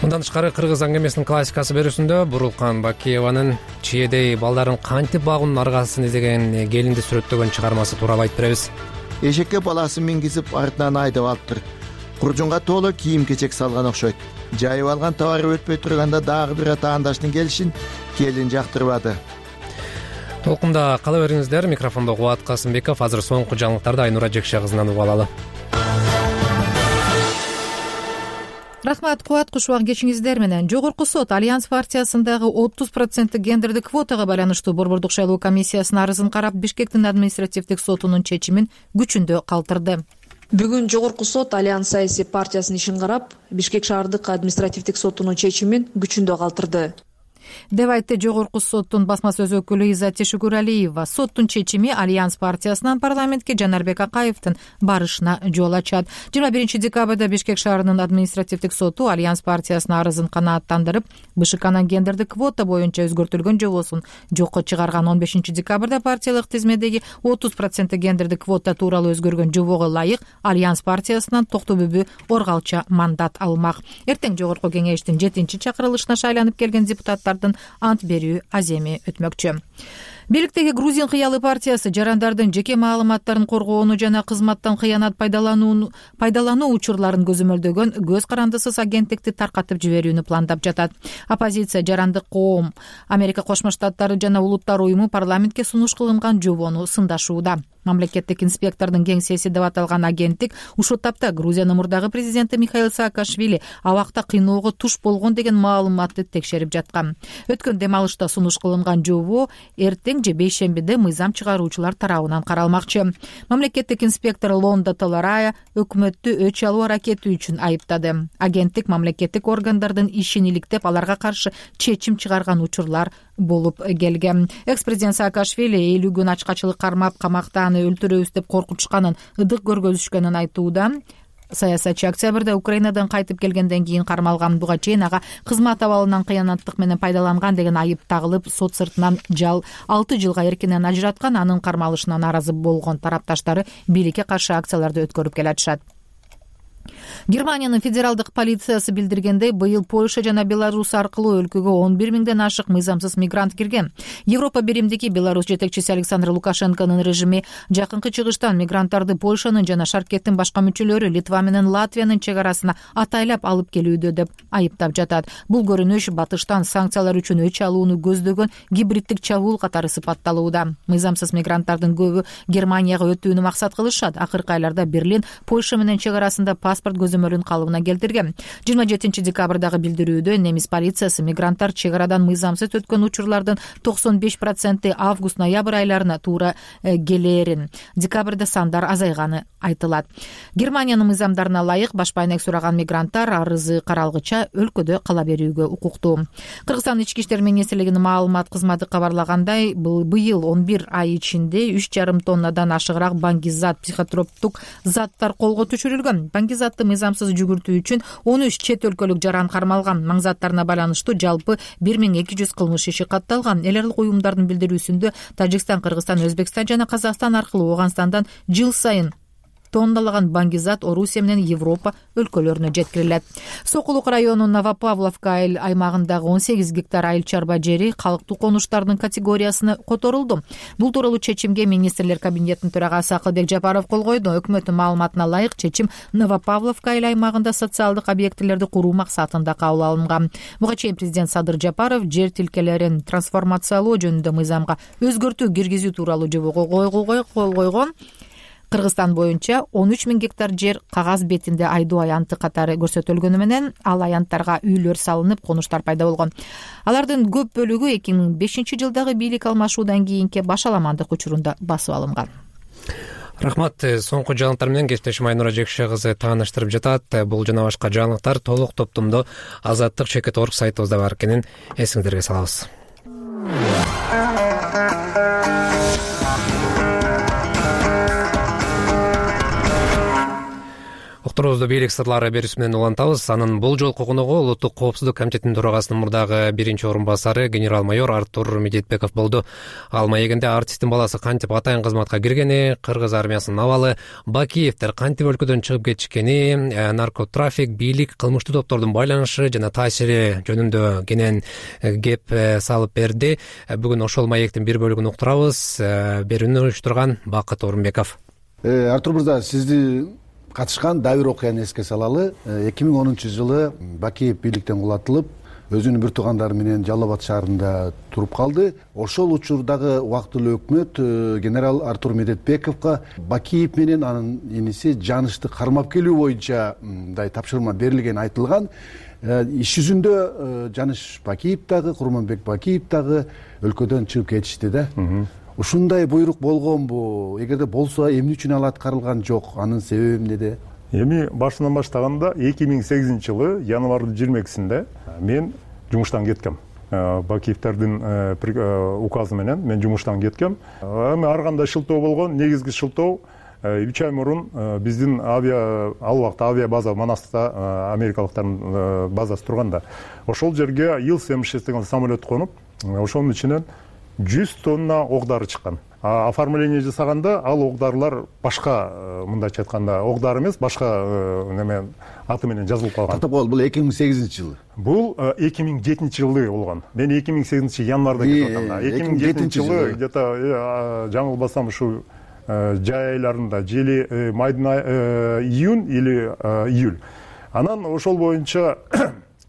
A: Мындан тышкары кыргыз аңгемесинин классикасы берүүсүндө Бурулкан Бакиеванын чиедей балдарын кантип багуунун аргасын издеген келинди сүрөттөгөн чыгармасы тууралуу айтып беребиз.
V: Эшекке баласын мингизип артынан айдап алыптыр. Куржунга толо кийим-кечек салган окшойт. Жайып алган товары өтпөй турганда дагы бир атаандаштын келишин келин жактырбады.
A: Толкунда кала бериңиздер. Микрофондо Кубат Касымбеков. Азыр соңку жаңылыктарды Айнура Жекше кызынан угуп алалы.
E: Рахмат, Кубат, кушубак кечиңиздер менен. Жогорку сот Альянс партиясындагы 30% гендердик квотага байланыштуу Борбордук шайлоо комиссиясынын арызын карап, Бишкектин административдик сотунун чечимин күчүндө калтырды.
W: Бүгүн Жогорку сот Альянс саясий партиясынын ишин карап, Бишкек шаардык административдик сотунун чечимин күчүндө калтырды
E: деп айтты Жогорку соттун басма сөз өкүлү Иззат Шүкүралиева. Соттун чечими Альянс партиясынан парламентке Жанарбек Акаевдин барышына жол ачат. 21 декабрда Бишкек шаарынын административдик соту Альянс партиясынын арызын канааттандырып, БШКнын гендердик квота боюнча өзгөртүлгөн жобосун жокко чыгарган. 15 декабрда партиялык тизмедеги 30% гендердик квота тууралуу өзгөргөн жобого ылайык Альянс партиясынан Токтобүбү Оргалча мандат алмак. Эртең Жогорку кеңештин 7-чакырылышына шайланып келген депутаттардын ант берүү аземи өтмөкчү. Бийликтеги Грузин кыялы партиясы жарандардын жеке маалыматтарын коргоону жана кызматтан кыянат пайдалануу учурларын көзөмөлдөгөн көз карандысыз агенттикти таркатып жиберүүнү пландап жатат. Оппозиция жарандык коом, Америка Кошмо Штаттары жана Улуттар уюму парламентке сунуш кылынган жобону сындашууда. Мамлекеттик инспектордун кеңсеси деп аталган агенттик ушул тапта Грузиянын мурдагы президенти Михаил Саакашвили абакта кыйноого туш болгон деген маалыматты текшерип жаткан. Өткөн дем алышта сунуш кылынган жобо эртең же бейшембиде мыйзам чыгаруучулар тарабынан каралмакчы. Мамлекеттик инспектор Лонда Толарая өкмөттү өч алуу аракети үчүн айыптады. Агенттик мамлекеттик органдардын ишин иликтеп, аларга каршы чечим чыгарган учурлар болуп келген. Экс-президент Саакашвили 50 күн ачкачылык кармап, камакта аны өлтүрөбүз деп коркутушканын, ыдык көргөзүшкөнүн айтууда. Саясатчы октябрда Украинадан кайтып келгенден кийин кармалган. Буга чейин ага кызмат абалынан кыянаттык менен пайдаланган деген айып тагылып, сот сыртынан 6 жылга эркинен ажыраткан. Анын кармалышына нааразы болгон тарапташтары бийликке каршы акцияларды өткөрүп келатышат. Германиянын федералдык полициясы билдиргендей, быйыл Польша жана Беларусь аркылуу өлкөгө 11 миңден ашык мыйзамсыз мигрант кирген. Европа биримдиги Беларусь жетекчиси Александр Лукашенконун режими жакынкы чыгыштан мигранттарды Польшанын жана Шаркеттин башка мүчөлөрү Литва менен Латвиянын чек арасына атайлап алып келүүдө деп айыптап жатат. Бул көрүнүш батыштан санкциялар үчүн өч алууну көздөгөн гибриддик чабуул катары сыпатталууда. Мыйзамсыз мигранттардын көбү Германияга өтүүнү максат кылышат. Акыркы айларда Берлин Польша менен чек арасында паспорт көзөмөлүн калыбына келтирген. 27 декабрдагы билдирүүдө немис полициясы мигранттар чек арадан мыйзамсыз өткөн учурлардын 95% август-ноябрь айларына туура келээрин, декабрда сандар азайганы айтылат. Германиянын мыйзамдарына ылайык баш байнек сураган мигранттар арызы каралгыча өлкөдө кала берүүгө укуктуу. Кыргызстан ички иштер министрлигинин маалымат кызматы кабарлагандай, быйыл 11 ай ичинде 3,5 тоннадан ашыгыраак баңгизат психотроптук заттар колго түшүрүлгөн. Баңгизатты мыйзамсыз жүгүртүү үчүн 13 чет өлкөлүк жаран кармалган. Маңзаттарына байланыштуу жалпы 1200 кылмыш иши катталган. Эл аралык уюмдардын билдирүүсүндө Тажикстан, Кыргызстан, Өзбекстан жана Казакстан аркылуу Ооганстандан жыл сайын тонналаган баңгизат Орусия менен Европа өлкөлөрүнө жеткирилет. Сокулук районунун Новопавловка айыл аймагындагы 18 гектар айыл чарба жери калктуу конуштардын категориясына которулду. Бул тууралуу чечимге министрлер кабинетинин төрагасы Акылбек Жапаров кол койду. Өкмөттүн маалыматына ылайык, чечим Новопавловка айыл аймагында социалдык объектилерди куруу максатында кабыл алынган. Буга чейин президент Садыр Жапаров жер тилкелерин трансформациялоо жөнүндө мыйзамга өзгөртүү киргизүү тууралуу жобого кол койгон. Кыргызстан боюнча 13 000 гектар жер кагаз бетинде айдоо аянты катары көрсөтүлгөнү менен ал аянттарга үйлөр салынып, конуштар пайда болгон. Алардын көп бөлүгү 2005 жылдагы бийлик алмашуудан кийинки башаламандык учурунда басып алынган.
A: Рахмат. Соңку жаңылыктар менен кесиптешим Айнура Жекше кызы тааныштырып жатат. Бул жана башка жаңылыктар толук топтомдо Азаттык.org сайтыбызда бар экенин эсиңиздерге салабыз. Уктуруубузду бийлик сырлары берүүсү менен улантабыз. Анын бул жолку коногу Улуттук коопсуздук комитетинин төрагасынын мурдагы биринчи орун басары генерал-майор Артур Медетбеков болду. Ал маегинде артисттин баласы кантип атайын кызматка киргени, кыргыз армиясынын абалы, Бакиевдер кантип өлкөдөн чыгып кетишкени, наркотрафик, бийлик, кылмыштуу топтордун байланышы жана таасири жөнүндө кенен кеп салып берди. Бүгүн ошол маектин бир бөлүгүн уктурабыз. Берүүнү уюштурган Бакыт Орунбеков.
B: Артур мырза, сизди катышкан дагы бир окуяны эске салалы. 2010 жылы Бакиев бийликтен кулатылып, өзүнүн бир туугандары менен Жалал Абад шаарында туруп калды. Ошол учурдагы убактылуу өкмөт генерал Артур Медетбековго Бакиев менен анын иниси Жанышты кармап келүү боюнча мындай тапшырма берилгени айтылган. Иш жүзүндө Жаныш Бакиев дагы, Курманбек Бакиев дагы өлкөдөн чыгып кетишти да. Ушундай буйрук болгонбу? Эгерде болсо, эмне үчүн ал аткарылган жок? Анын себеби эмнеде?
F: Эми башынан баштаганда 2008 жылы январдын 22-синде мен жумуштан кеткем. Бакиевтердин указы менен мен жумуштан кеткем. Эми ар кандай шылтоо болгон, негизги шылтоо 3 ай мурун биздин ал убакта авиа база Манаста америкалыктардын базасы турганда, ошол жерге Ил-76 деген самолет конуп, ошонун ичинен 100 тонна ок дары чыккан. Оформление жасаганда ал ок дарылар башка, мындайча айтканда, ок дары эмес, башка неме аты менен жазылып калган.
B: Токтоп кол, бул 2008 жылы.
F: Бул 2007 жылы болгон. Мен 2008 январда кетип аткам. 2007 жылы где-то жаңылбасам ушу жай айларында, жели майдын июнь или июль. Анан ошол боюнча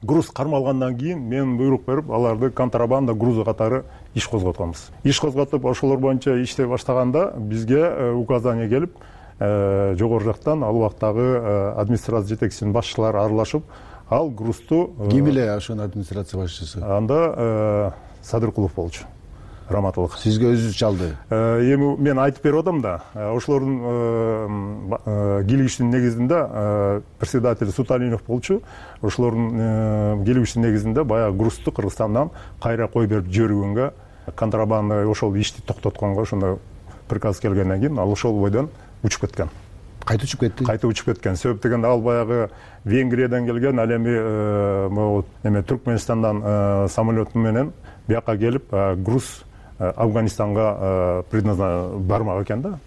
F: груз кармалгандан кийин мен буйрук берип, аларды контрабанда грузу катары иш козготконбуз. Иш козготуп, ошолор боюнча иштей баштаганда бизге указание келип, жогору жактан ал убактагы администрация жетекчисинин башчылары аралашып, ал грузту
B: ким эле ошонун администрация башчысы?
F: Анда Садыркулов болчу. Раматылык.
B: Сизге өзү чалды.
F: Эми мен айтып берип атам да, ошолордун келишүүсүнүн негизинде председатель Суталинов болчу. Ошолордун келишүүсүнүн негизинде баягы грузту Кыргызстандан кайра кой берип жибергөнгө, контрабанда ошол ишти токтотконго ошондой приказ келгенден кийин ал ошол бойдон учуп кеткен.
B: Кайта учуп кетти?
F: Кайта учуп кеткен. Себеп дегенде ал баягы Венгриядан келген, ал эми Түркменистандан самолет менен бияка келип, груз Афганистанга бармак экен да.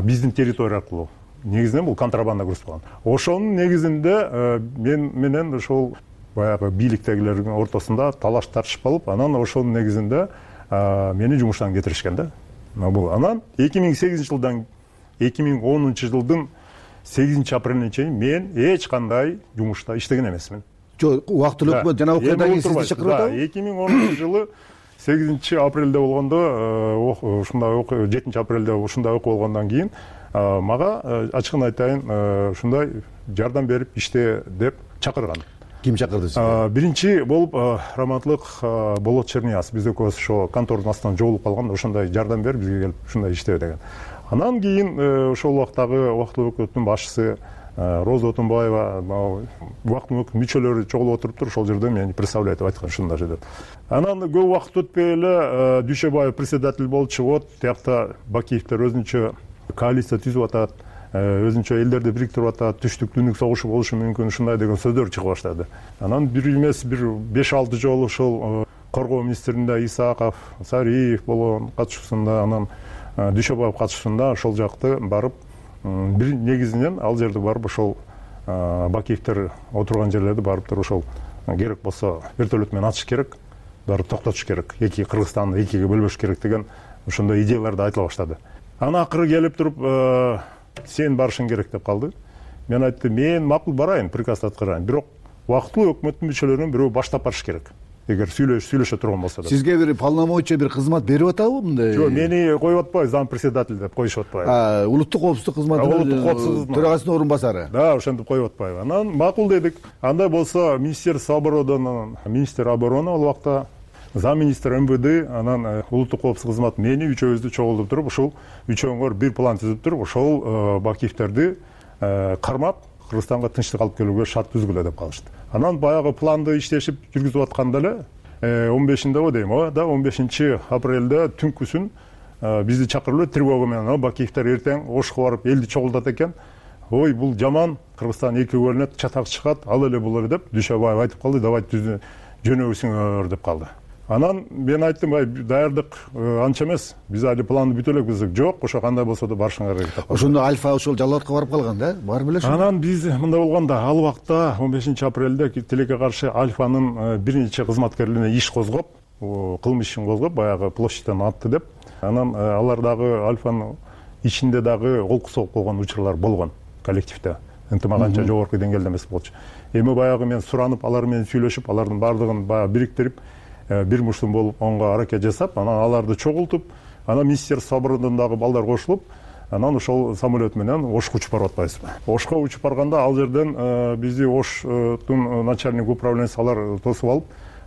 F: Биздин территория аркылуу. Негизинен бул контрабанда груз болгон. Ошонун негизинде мен менен ошол баягы бийликтегилердин ортосунда талаш тартышып калып, анан ошонун негизинде мени жумуштан кетиришкен да. Бул анан 2008 жылдан 2010 жылдын 8 апрелине чейин мен эч кандай жумушта иштеген эмесмин.
B: Жок, убактылуу өкмөт жана окуядан кийин сизди чакырып атабы?
F: 2010 жылы 8 апрелде болгондо, ушундай 7 апрелде ушундай окуу болгондон кийин мага ачыгын айтайын, ушундай жардам берип иште деп чакырган.
B: Ким чакырды сизди?
F: Биринчи болуп Раматлык Болот Чернияз, биз экөөбүз ошо контордун астынан жогулуп калганда ошондой жардам берип бизге келип ушундай иштебе деген. Анан кийин ошол убактагы убактылуу өкмөттүн башчысы Роза Отунбаева, убактылуу өкмөт мүчөлөрү чогулуп отуруптур, ошол жерде мени представлять этип айткан ушундай деп. Анан көп убакыт өтпөй эле Дүйшөбаев председатель болчу, вот тиякта Бакиевдер өзүнчө коалиция түзүп атат, өзүнчө элдерди бириктирип атат, түштүк түндүк согушу болушу мүмкүн, ушундай деген сөздөр чыга баштады. Анан бир эмес бир 5-6 жолу ушул коргоо министринде Исаков, Сариев болгон катышуусунда, анан Дүйшөбаев катышуусунда ошол жакты барып, бир негизинен ал жерде барып ошол Бакиевдер отурган жерлерди барып туруп ошол керек болсо вертолет менен атыш керек, барып токтотуш керек, эки Кыргызстанды экиге бөлбөш керек деген ошондой идеяларды айтыла баштады. Анан акыры келип туруп сен барышың керек деп калды. Мен айттым, мен макул барайын, приказ аткарайын, бирок убактылуу өкмөттүн мүчөлөрүнүн бирөө баштап барыш керек. Эгер сүйлөшө турган болсо да. Сизге бир полномочия, бир кызмат берип атабы мындай? Жок, мени коюп атпайбы, зам председатель деп коюшуп атпайбы. Улуттук коопсуздук кызматынын төрагасынын орун басары. Да, ошентип коюп атпайбы. Анан макул дедик. Андай болсо Министерство обороны, министр обороны ал убакта, замминистр МВД, анан улуттук коопсуздук кызматы мени үчөөбүздү чогултуп туруп, ушул үчөөңөр бир план түзүп туруп, ошол Бакиевдерди кармап Кыргызстанга тынчтык алып келүүгө шарт түзгүлө деп калышты. Анан баягы планды иштешип жүргүзүп атканда эле 15-ндебы дейм, да 15 апрелде түнкүсүн бизди чакырып эле тревога менен, Бакиевдер эртең Ошко барып элди чогултат экен. Ой, бул жаман, Кыргызстан экиге бөлүнөт, чатак чыгат, ал эле бул эле деп Дүйшөбаев айтып калды, давайте жөнөбүзүңөр деп калды. Анан мен айттым, даярдык анча эмес, биз али планды бүтө элекпиз. Жок, ошо кандай болсо да барышыңар керек деп. Ошондо Альфа ошол Жалал-Абадка барып калган да? Барып эле ошо. Анан биз мындай болгондо, ал убакта 15 апрелде тилекке каршы Альфанын бир нече кызматкерлерине иш козгоп, кылмыш ишин козгоп, баягы площадьтан атты деп. Анан алар дагы Альфанын ичинде дагы колку согуп койгон учурлар болгон коллективде. Ынтымак анча жогорку деңгээлде эмес болчу. Эми баягы мен суранып, алар менен сүйлөшүп, алардын баардыгын баягы бириктирип, бир муштум болуп онго аракет жасап, анан аларды чогултуп, анан Министерство обороны дагы балдар кошулуп, анан ошол самолет менен Ошко учуп барып атпайбызбы. Ошко учуп барганда ал жерден бизди Оштун начальник управлениясы алар тосуп алып,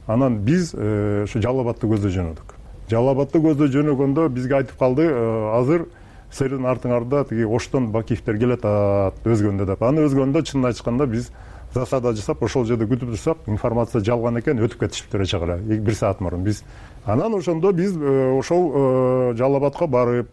F: анан биз ошо Жалал-Абадты көздөй жөнөдүк. Жалал-Абадты көздөй жөнөгөндө бизге айтып калды, азыр силердин артыңарда тиги Оштон Бакиевдер келет өзгөндө деп. Аны өзгөндө чынын айтышканда биз засада жасап, ошол жерде күтүп турсак, информация жалган экен, өтүп кетишиптир чагыра, 1 саат мурун биз. Анан ошондо биз ошол Жалал-Абадка барып,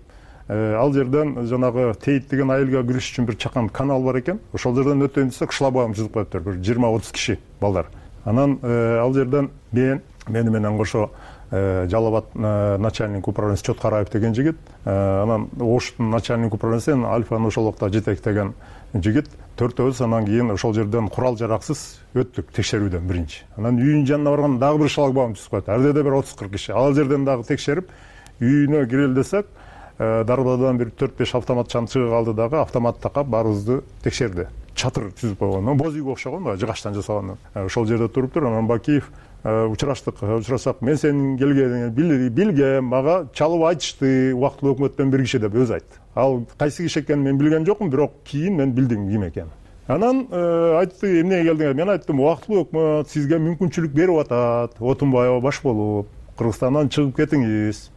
F: ал жерден жанагы Тейт деген айылга кириш үчүн бир чакан канал бар экен. Ошол жерден өтөйүн десек, шлагбаум түзүп коюптур, бир 20-30 киши балдар. Анан ал жерден мени менен кошо Жалал-Абад начальник управлениясы Чоткараев деген жигит, анан Оштун начальник управлениясы Альфаны ошол убакта жетектеген жигит, төртөөбүз анан кийин ошол жерден курал жараксыз өттүк текшерүүдөн биринчи. Анан үйүнүн жанына барганда дагы бир шлагбаум түзүп коет. Ар жерде бир 30-40 киши. Ал жерден дагы текшерип, үйүнө кирели десек, дарбадан бир 4-5 автоматчан чыга калды дагы, автомат такап баарыбызды текшерди. Чатыр түзүп койгон, боз үйгө окшогон, жыгачтан жасалган. Ошол жерде туруптур. Анан Бакиев учурашсак, мен сенин келгениңди билгем, мага чалып айтышты, убактылуу өкмөттөн бир киши деп өзү айтты. Ал кайсы киши экенин мен билген жокмун, бирок кийин мен билдим ким экенин. Анан айтты, эмнеге келдиңер? Мен айттым, убактылуу өкмөт сизге мүмкүнчүлүк берип атат, Отунбаева баш болуп, Кыргызстандан чыгып кетиңиз,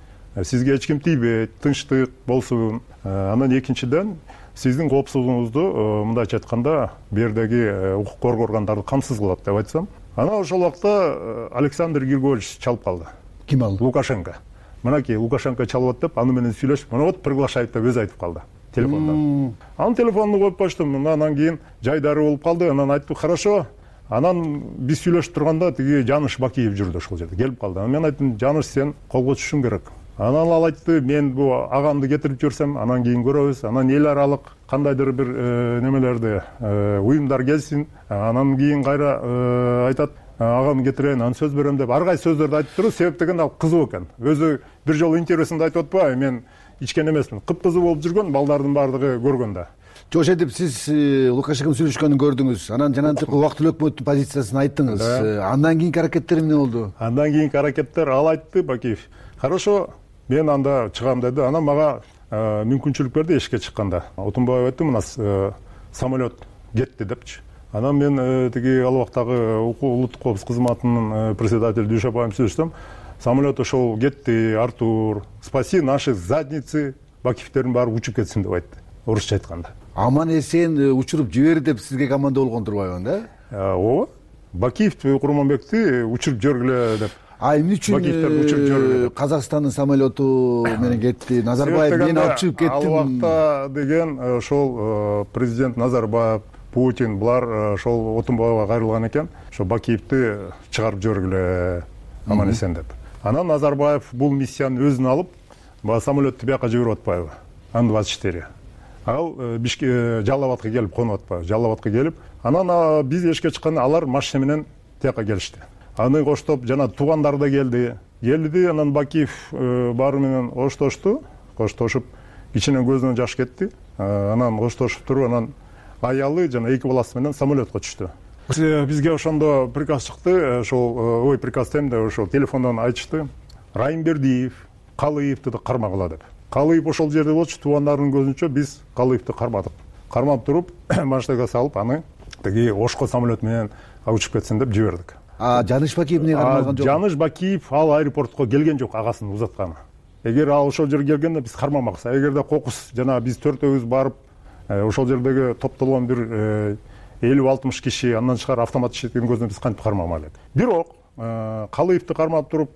F: сизге эч ким тийбейт, тынчтык болсун. Анан экинчиден сиздин коопсуздугуңузду мындайча айтканда, бу жердеги укук коргоо органдары камсыз кылат деп айтсам. Анан ошол убакта Александр Григорьевич чалып калды. Ким ал? Лукашенко. Мынакей Лукашенко чалып атып, аны менен сүйлөшүп, мына вот приглашает деп өзү айтып калды телефондон. Анан телефонду коюп коштум. Анан кийин жайдары болуп калды. Анан айтты, хорошо. Анан биз сүйлөшүп турганда тиги Жаныш Бакиев жүрдү ошол жерде, келип калды. Анан мен айттым, Жаныш, сен колго түшүшүң керек. Анан ал айтты, мен бу агамды кетирип жиберсем, анан кийин көрөбүз. Анан эл аралык кандайдыр бир немелерди уюмдар келсин. Анан кийин кайра айтат, агамды кетирейин, анан сөз берем деп ар кайсы сөздөрдү айтып туруп, себеп деген ал кызуу экен. Өзү бир жолу интервьюсунда айтып атпайбы, мен ичкен эмесмин. Кыпкызуу болуп жүргөн, балдардын баардыгы көргөндө. Жок, ошентип сиз Лукашенко сүйлөшкөнүн көрдүңүз. Анан жанагынтип убактылуу өкмөттүн позициясын айттыңыз. Андан кийинки аракеттер эмне болду? Андан кийинки аракеттер ал айтты, Бакиев. Хорошо, мен анда чыгам деди. Анан мага мүмкүнчүлүк берди эшикке чыкканда. Отунбаев айтты, мына самолет кетти депчи. Анан мен тиги ал убактагы улуттук коопсуздук кызматынын председатели Дүйшөбаев сүйлөшсөм, самолет ошол кетти, Артур, спаси наши задницы, Бакиевдердин баары учуп кетсин деп айтты, орусча айтканда. Аман эсен учуруп жибер деп сизге команда болгон турбайбы да? Ооба. Бакиев Курманбекти учуруп жибергиле деп.
B: Эмне үчүн Казакстандын самолету менен кетти? Назарбаев мен алып чыгып кеттим.
F: Ал убакта деген ошол президент Назарбаев, Путин булар ошол Отунбаевга кайрылган экен. Ошо Бакиевди чыгарып жибергиле аман эсен деп. Анан Назарбаев бул миссияны өзүнө алып, баягы самолетту бияка жиберип атпайбы? Андыбас иштери. Ал Жалал Абадка келип конуп атпайбы? Жалал Абадка келип, анан биз эшикке чыкканда алар машина менен тияка келишти. Аны коштоп жана туугандары да келди, анан Бакиев баары менен коштошуп, кичине көзүнөн жаш кетти. Анан коштошуп туруп, анан аялы жана эки баласы менен самолетко түштү. Бизге ошондо приказ чыкты, ошол приказ демде ошол телефондон айтышты. Райымбердиев Калыевди да кармагыла деп. Калыев ошол жерде болчу, туугандарынын көзүнчө биз Калыевди кармадык. Кармап туруп, машинага салып, аны тиги Ошко самолет менен учуп кетсин деп жибердик.
B: Жаныш Бакиев эмне кармаган жок?
F: Жаныш Бакиев ал аэропортко келген жок, агасынын узатканы. Эгер ал ошол жерге келгенде биз кармамакпыз. Эгерде кокус жана биз төртөөбүз барып, ошол жердеги топтолгон бир 50-60 киши андан тышкары автомат иштеткен көзүнөн биз кантип кармамак элек. Бирок Калыевди кармап туруп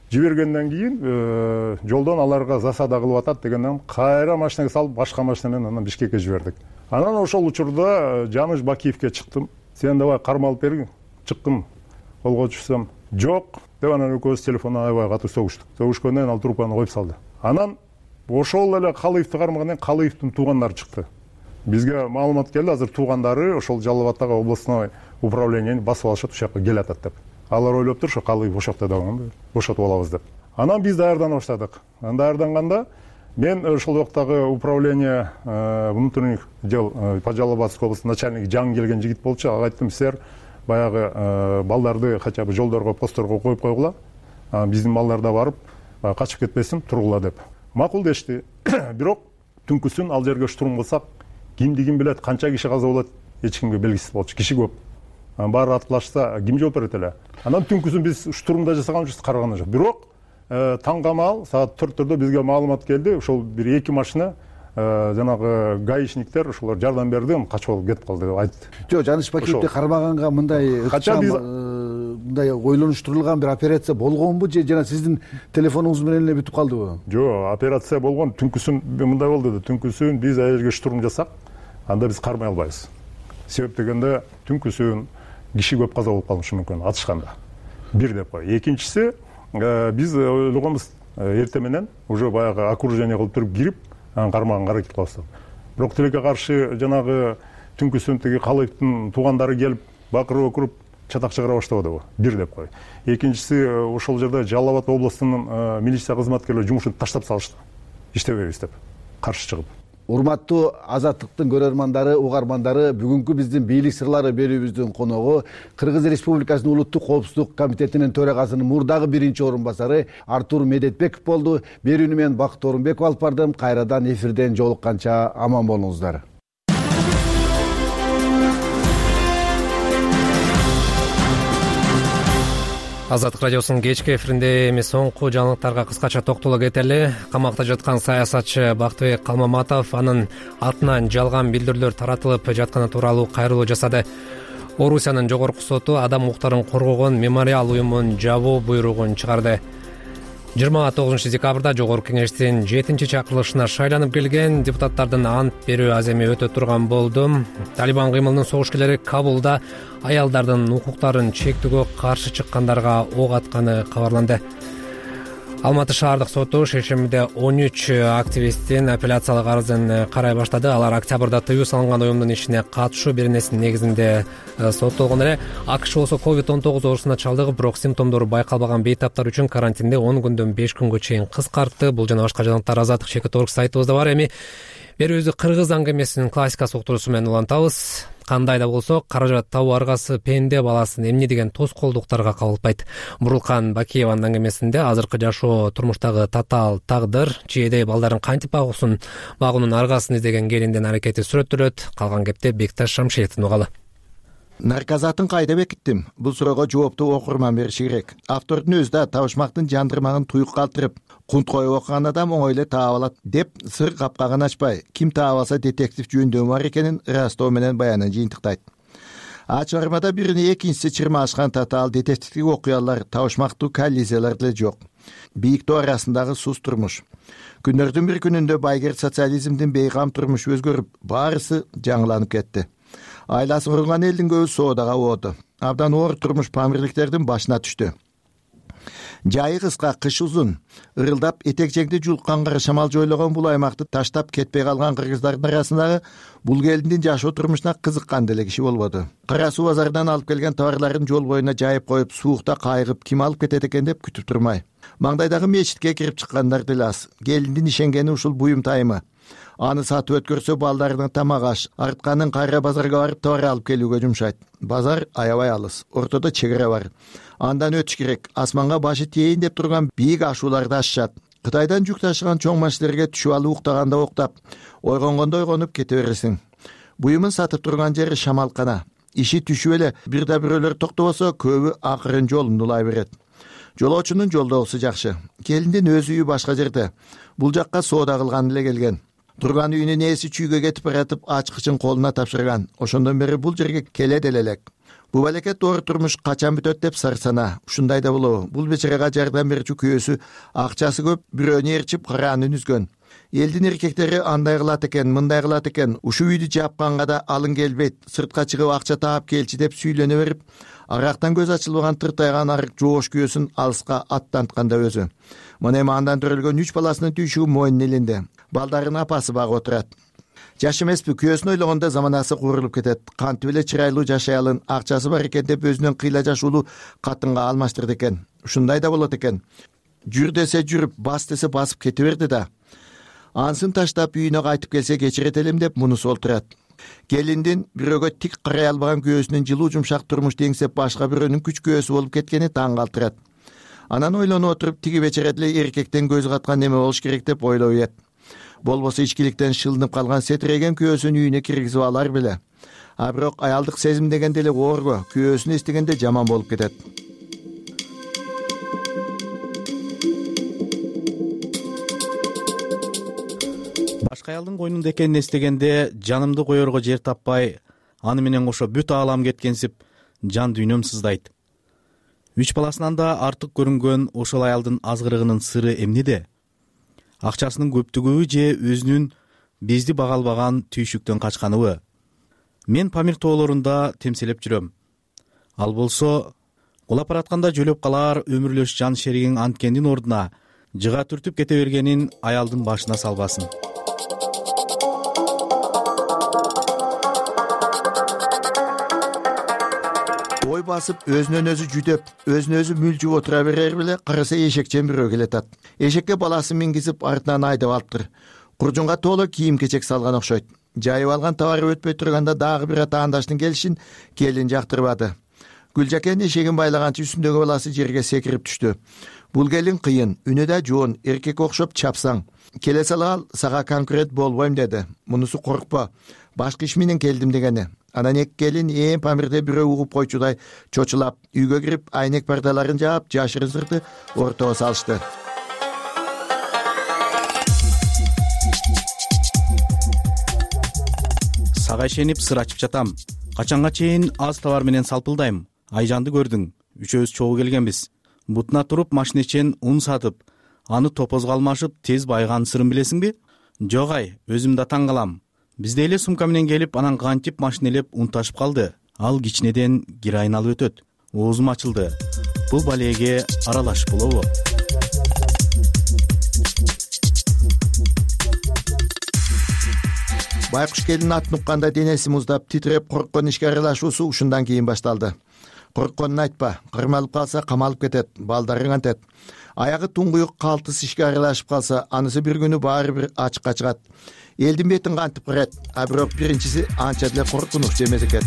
F: жибергенден кийин жолдон аларга засада кылып атат дегенден кайра машинага салып, башка машина менен анан Бишкекке жибердик. Анан ошол учурда Жаныш Бакиевке чыктым. Сен давай кармалып бергин. Чыккым. Колго түшсөм, жок деп анан экөөбүз телефондон аябай катуу согуштук. Согушкондон кийин ал трубканы коюп салды. Анан ошол эле Калыевди кармагандан кийин Калыевдин туугандары чыкты. Бизге маалымат келди, азыр туугандары ошол Жалал Абадтагы областной управлениени басып алышат, ушакка келатат деп. Алар ойлоп тур, ошо Калыев ошокто дагы бошотуп алабыз деп. Анан биз даярдана баштадык. Даярданганда мен ошол убактагы управление внутренних дел по Жалал Абадской области начальниги жаңы келген жигит болчу. Ага айттым, силер баягы балдарды хотя бы жолдорго, постторго коюп койгула. Биздин балдар да барып качып кетпесин, тургула деп. Макул дешти. Бирок түнкүсүн ал жерге штурм кылсак, кимди ким билет, канча киши каза болот, эч кимге белгисиз болчу. Киши көп. Баары аткылашса, ким жооп берет эле? Анан түнкүсүн биз штурмда жасаганбыз, караган жок. Бирок таңгамал саат 4-төрдө бизге маалымат келди. Ошол бир эки машина жанагы гаишниктер ошолор жардам берди, качып алып кетип калды деп айтты.
B: Жок, Жаныш Бакиевди кармаганга мындай ойлонуштурулган бир операция болгонбу же жана сиздин телефонуңуз менен эле бүтүп калдыбы?
F: Жок, операция болгон. Түнкүсүн мындай болду да, түнкүсүн биз аерге штурм жасак, анда биз кармай албайбыз. Себеп дегенде түнкүсүн киши көп каза болуп калышы мүмкүн атышканда. Бир деп кой. Экинчиси, биз ойлогонбуз эрте менен уже баягы окружение кылып туруп кирип, кармаганга аракет кылабыз. Бирок тилекке каршы жанагы түнкүсүн тиги Калыевдин туугандары келип, бакырып чатак чыгара баштабадыбы? Бир деп кой. Экинчиси, ошол жерде Жалал Абад областынын милиция кызматкерлери жумушун таштап салышты. Иштебейбиз деп, каршы чыгып.
B: Урматтуу Азаттыктын көрөрмандары, угармандары, бүгүнкү биздин бийлик сырлары берүүбүздүн коногу Кыргыз Республикасынын Улуттук коопсуздук комитетинин төрагасынын мурдагы биринчи орун басары Артур Медетбеков болду. Берүүнү мен Бакыт Орунбеков алып бардым. Кайрадан эфирден жолукканча аман болуңуздар.
A: Азаттык радиосунун кечки эфиринде эми соңку жаңылыктарга кыскача токтоло кетели. Камакта жаткан саясатчы Бактыбек Калмаматов анын атынан жалган билдирүүлөр таратылып жатканы тууралуу кайрылуу жасады. Орусиянын жогорку соту адам укуктарын коргогон мемориал уюмун жабуу буйругун чыгарды. 29 декабрда Жогорку кеңештин 7-чакырылышына шайланып келген депутаттардын ант берүү аземи өтө турган болду. Талибан кыймылынын согушкерлери Кабулда аялдардын укуктарын чектөөгө каршы чыккандарга ок атканы кабарланды. Алматы шаардык соту шейшембиде 13 активисттин апелляциялык арызын карай баштады. Алар октябрда тыюу салынган уюмдун ишине катышуу беренесинин негизинде соттолгон эле. АКШ болсо COVID-19 оорусуна чалдыгып, бирок симптомдору байкалбаган бейтаптар үчүн карантинди 10 күндөн 5 күнгө чейин кыскартты. Бул жана башка жаңылыктар Азаттык.org сайтыбызда бар. Эми берүүбүздү кыргыз аңгемесинин классикасы уктуруусу менен улантабыз. Кандай да болсо, каражат табуу аргасы пенде баласын эмне деген тоскоолдуктарга кабылтпайт. Бурулкан Бакиеванын аңгемесинде азыркы жашоо турмуштагы татаал тагдыр, чийедей балдарын кантип багуунун аргасын издеген келиндин аракети сүрөттөлөт. Калган кепте Бекташ Шамшиевдин угалы.
V: Наркозатын кайда бекиттим? Бул суроого жоопту окурман бериши керек. Автордун өзү да табышмактын жандырмагын туюк калтырып, кунт коюп окуган адам оңой эле таап алат деп сыр капкагын ачпай, ким таап алса детектив жөндөмү бар экенин ырастоо менен баянын жыйынтыктайт. чыгармада биrini экинчиси чырмашкан татаал детективдик окуялар, табышмактуу коллизиялар деле жок. Бийик тоо арасындагы сус турмуш. Күндөрдүн бир күнүндө байгер социализмдин бейгам турмушу өзгөрүп, баарысы жаңыланып кетти. Айласы курулган элдин көбү соодага ооду. Абдан оор турмуш памирликтердин башына түштү. Жайы кыска, кыш узун. Ырылдап этек-жеңди жулккан кара шамал жойлогон бул аймакты таштап кетпей калган кыргыздардын арасындагы бул келиндин жашоо турмушуна кызыккан деле киши болбоду. Кара суу базарынан алып келген товарларын жол боюна жайып коюп, суукта кайгып, ким алып кетет экен деп күтүп турмай. Маңдайдагы мечитке кирип чыккандар деле аз. Келиндин ишенгени ушул буюм тайымы. Аны сатып өткөрсө балдарынын тамак аш, артканын кайра базарга барып товар алып келүүгө жумшайт. Базар аябай алыс, ортодо чек ара бар. Андан өтүш керек. Асманга башы тейин деп турган бийик ашууларды ашышат. Кытайдан жүк ташыган чоң машиналерге түшүп алып уктаганда уктап, ойгонгондо ойгонуп кете бересиң. Буюмун сатып турган жери шамалкана. Иши түшүп эле бир да бирөөлөр токтобосо, көбү акырын жолун улай берет. Жолоочунун жолдогусу жакшы. Келиндин өз үйү башка жерде. Бул жакка соода кылган эле келген. Турган үйүнүн ээси чүйгө кетип баратып, ачкычын колуна тапшырган. Ошондон бери бул жерге келе деле элек. Бул балекет оор турмуш качан бүтөт деп сарсана. Ушундай да болобу? Бул бечарага жардам берүүчү күйөөсү акчасы көп бирөөнү ээрчип кыраанын үзгөн. Элдин эркектери андай кылат экен, мындай кылат экен. Ушул үйдү жапканга да алың келбейт. Сыртка чыгып акча таап келчи деп сүйлене берип, арактан көз ачылбаган тыртайган арык жоош күйөөсүн алыска аттантканда өзү. Мына эми андан төрөлгөн 3 баласынын түйшүгү мойнунун элинде. Балдарын апасы багып отурат. Жаш эмеспи, күйөөсүн ойлогондо заманасы куурулуп кетет. Кантип эле чырайлуу жашай алын, акчасы бар экен деп өзүнөн кыйла жашуулуу катынга алмаштырды экен. Ушундай да болот экен. Жүр десе жүрүп, бас десе басып кете берди да. Ансын таштап үйүнө кайтып келсе кечирет элем деп мунусу олтурат. Келиндин бирөөгө тик карай албаган күйөөсүнүн жылуу жумшак турмуш деңсеп башка бирөөнүн күч күйөөсү болуп кеткени таң калтырат. Анан ойлонуп отуруп, тиги бечара деле эркектен көз каткан неме болуш керек деп ойлой берет. Болбосо ичкиликтен шылынып калган сетиреген күйөөсүн үйүнө киргизип алар беле. А бирок аялдык сезим деген деле оорго, күйөөсүн эстегенде жаман болуп кетет.
G: Башка аялдын койнунда экенин эстегенде жанымды коерго жер таппай, аны менен кошо бүт аалам кеткенсип, жан дүйнөм сыздайт. 3 баласынан да артык көрүнгөн ошол аялдын азгырыгынын сыры эмнеде? Акчасынын көптүгүбү же өзүнүн бизди бага албаган түйшүктөн качканыбы? Мен Памир тоолорунда темселеп жүрөм. Ал болсо кулап баратканда жөлөп калар өмүрлөш жан шеригиң анткендин ордуна жыга түртүп кете бергенин аялдын башына салбасын.
V: Ой басып, өзүнөн өзү жүдөп, өзүнө өзү мүлжүп отура берер беле, караса эшекчен бирөө келатат. Эшекке баласын мингизип артынан айдап алыптыр. Куржунга тооло кийим-кечек салган окшойт. Жайып алган товары өтпөй турганда дагы бир атаандаштын келишин келин жактырбады. Гүлжакен эшегин байлаганчы үстүндөгү баласы жерге секирип түштү. Бул келин кыйын, үнү да жоон, эркек окшоп чапсаң. Келе сала сага конкурент болбойм деди. Мунусу коркпо. Башка иш менен келдим дегени. Анан эки келин Памирде бирөө угуп койчудай чочулап, үйгө кирип, айнек пардаларын жаап, жашырын сырты ортого салышты.
G: Сага ишенип сыр ачып жатам. Качанга чейин аз товар менен салпылдайм. Айжанды көрдүң. Үчөөбүз чогуу келгенбиз. Бутуна туруп машина ичен ун сатып, аны топозго алмашып тез байган сырын билесиңби? Жок ай, өзүм да таң калам. Бизде эле сумка менен келип, анан кантип машина элеп ун ташып калды. Ал кичинеден героин алып өтөт. Оозум ачылды. Бул балеге аралашып болобу?
V: Байкуш келин атын укканда денеси муздап, титиреп корккон ишке аралашуусу ушундан кийин башталды. Коркконун айтпа, кырмалып калса камалып кетет, балдарың антет. Аягы туңгуюк калтыс ишке аралашып калса, анысы бир күнү баары бир ачыкка чыгат. Элдин бетин кантип кырат, а бирок биринчиси анча деле коркунучсу эмес экен.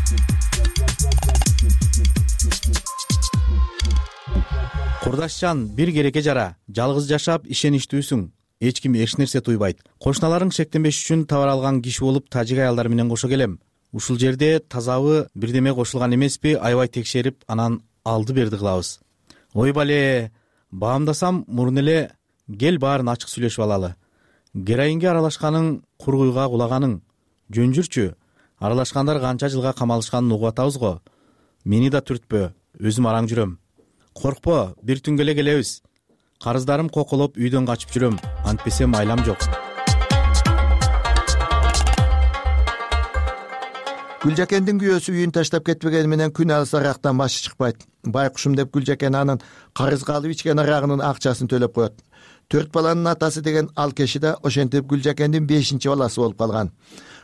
G: Курдашчан, бир керекке жара. Жалгыз жашап ишеничтүүсүң. Эч ким эч нерсе туйбайт. Кошуналарың шектенбеш үчүн товар алган киши болуп, тажик аялдар менен кошо келем. Ушул жерде тазабы бирдеме кошулган эмеспи, аябай текшерип, анан алды берди кылабыз. Ой бале, баамдасам мурун эле кел баарын ачык сүйлөшүп алалы. Героинге аралашканың, кургуйга кулаганың. Жөн жүрчү. аралашкандар канча жылга камалышканын угуп атабыз го. Мени да түртпө, өзүм араң жүрөм. Коркпо, бир түнгө эле келебиз. Карыздарым коколоп үйдөн качып жүрөм, антпесем айлам жок.
V: Гүлжакендин күйөөсү үйүн таштап кетпегени менен күн алыс арактан башы чыкпайт. Байкушум деп Гүлжакен анын карызга алып ичкен арагынын акчасын төлөп коет. 4 баланын атасы деген ал киши да ошентип Гүлжакендин 5-чи баласы болуп калган.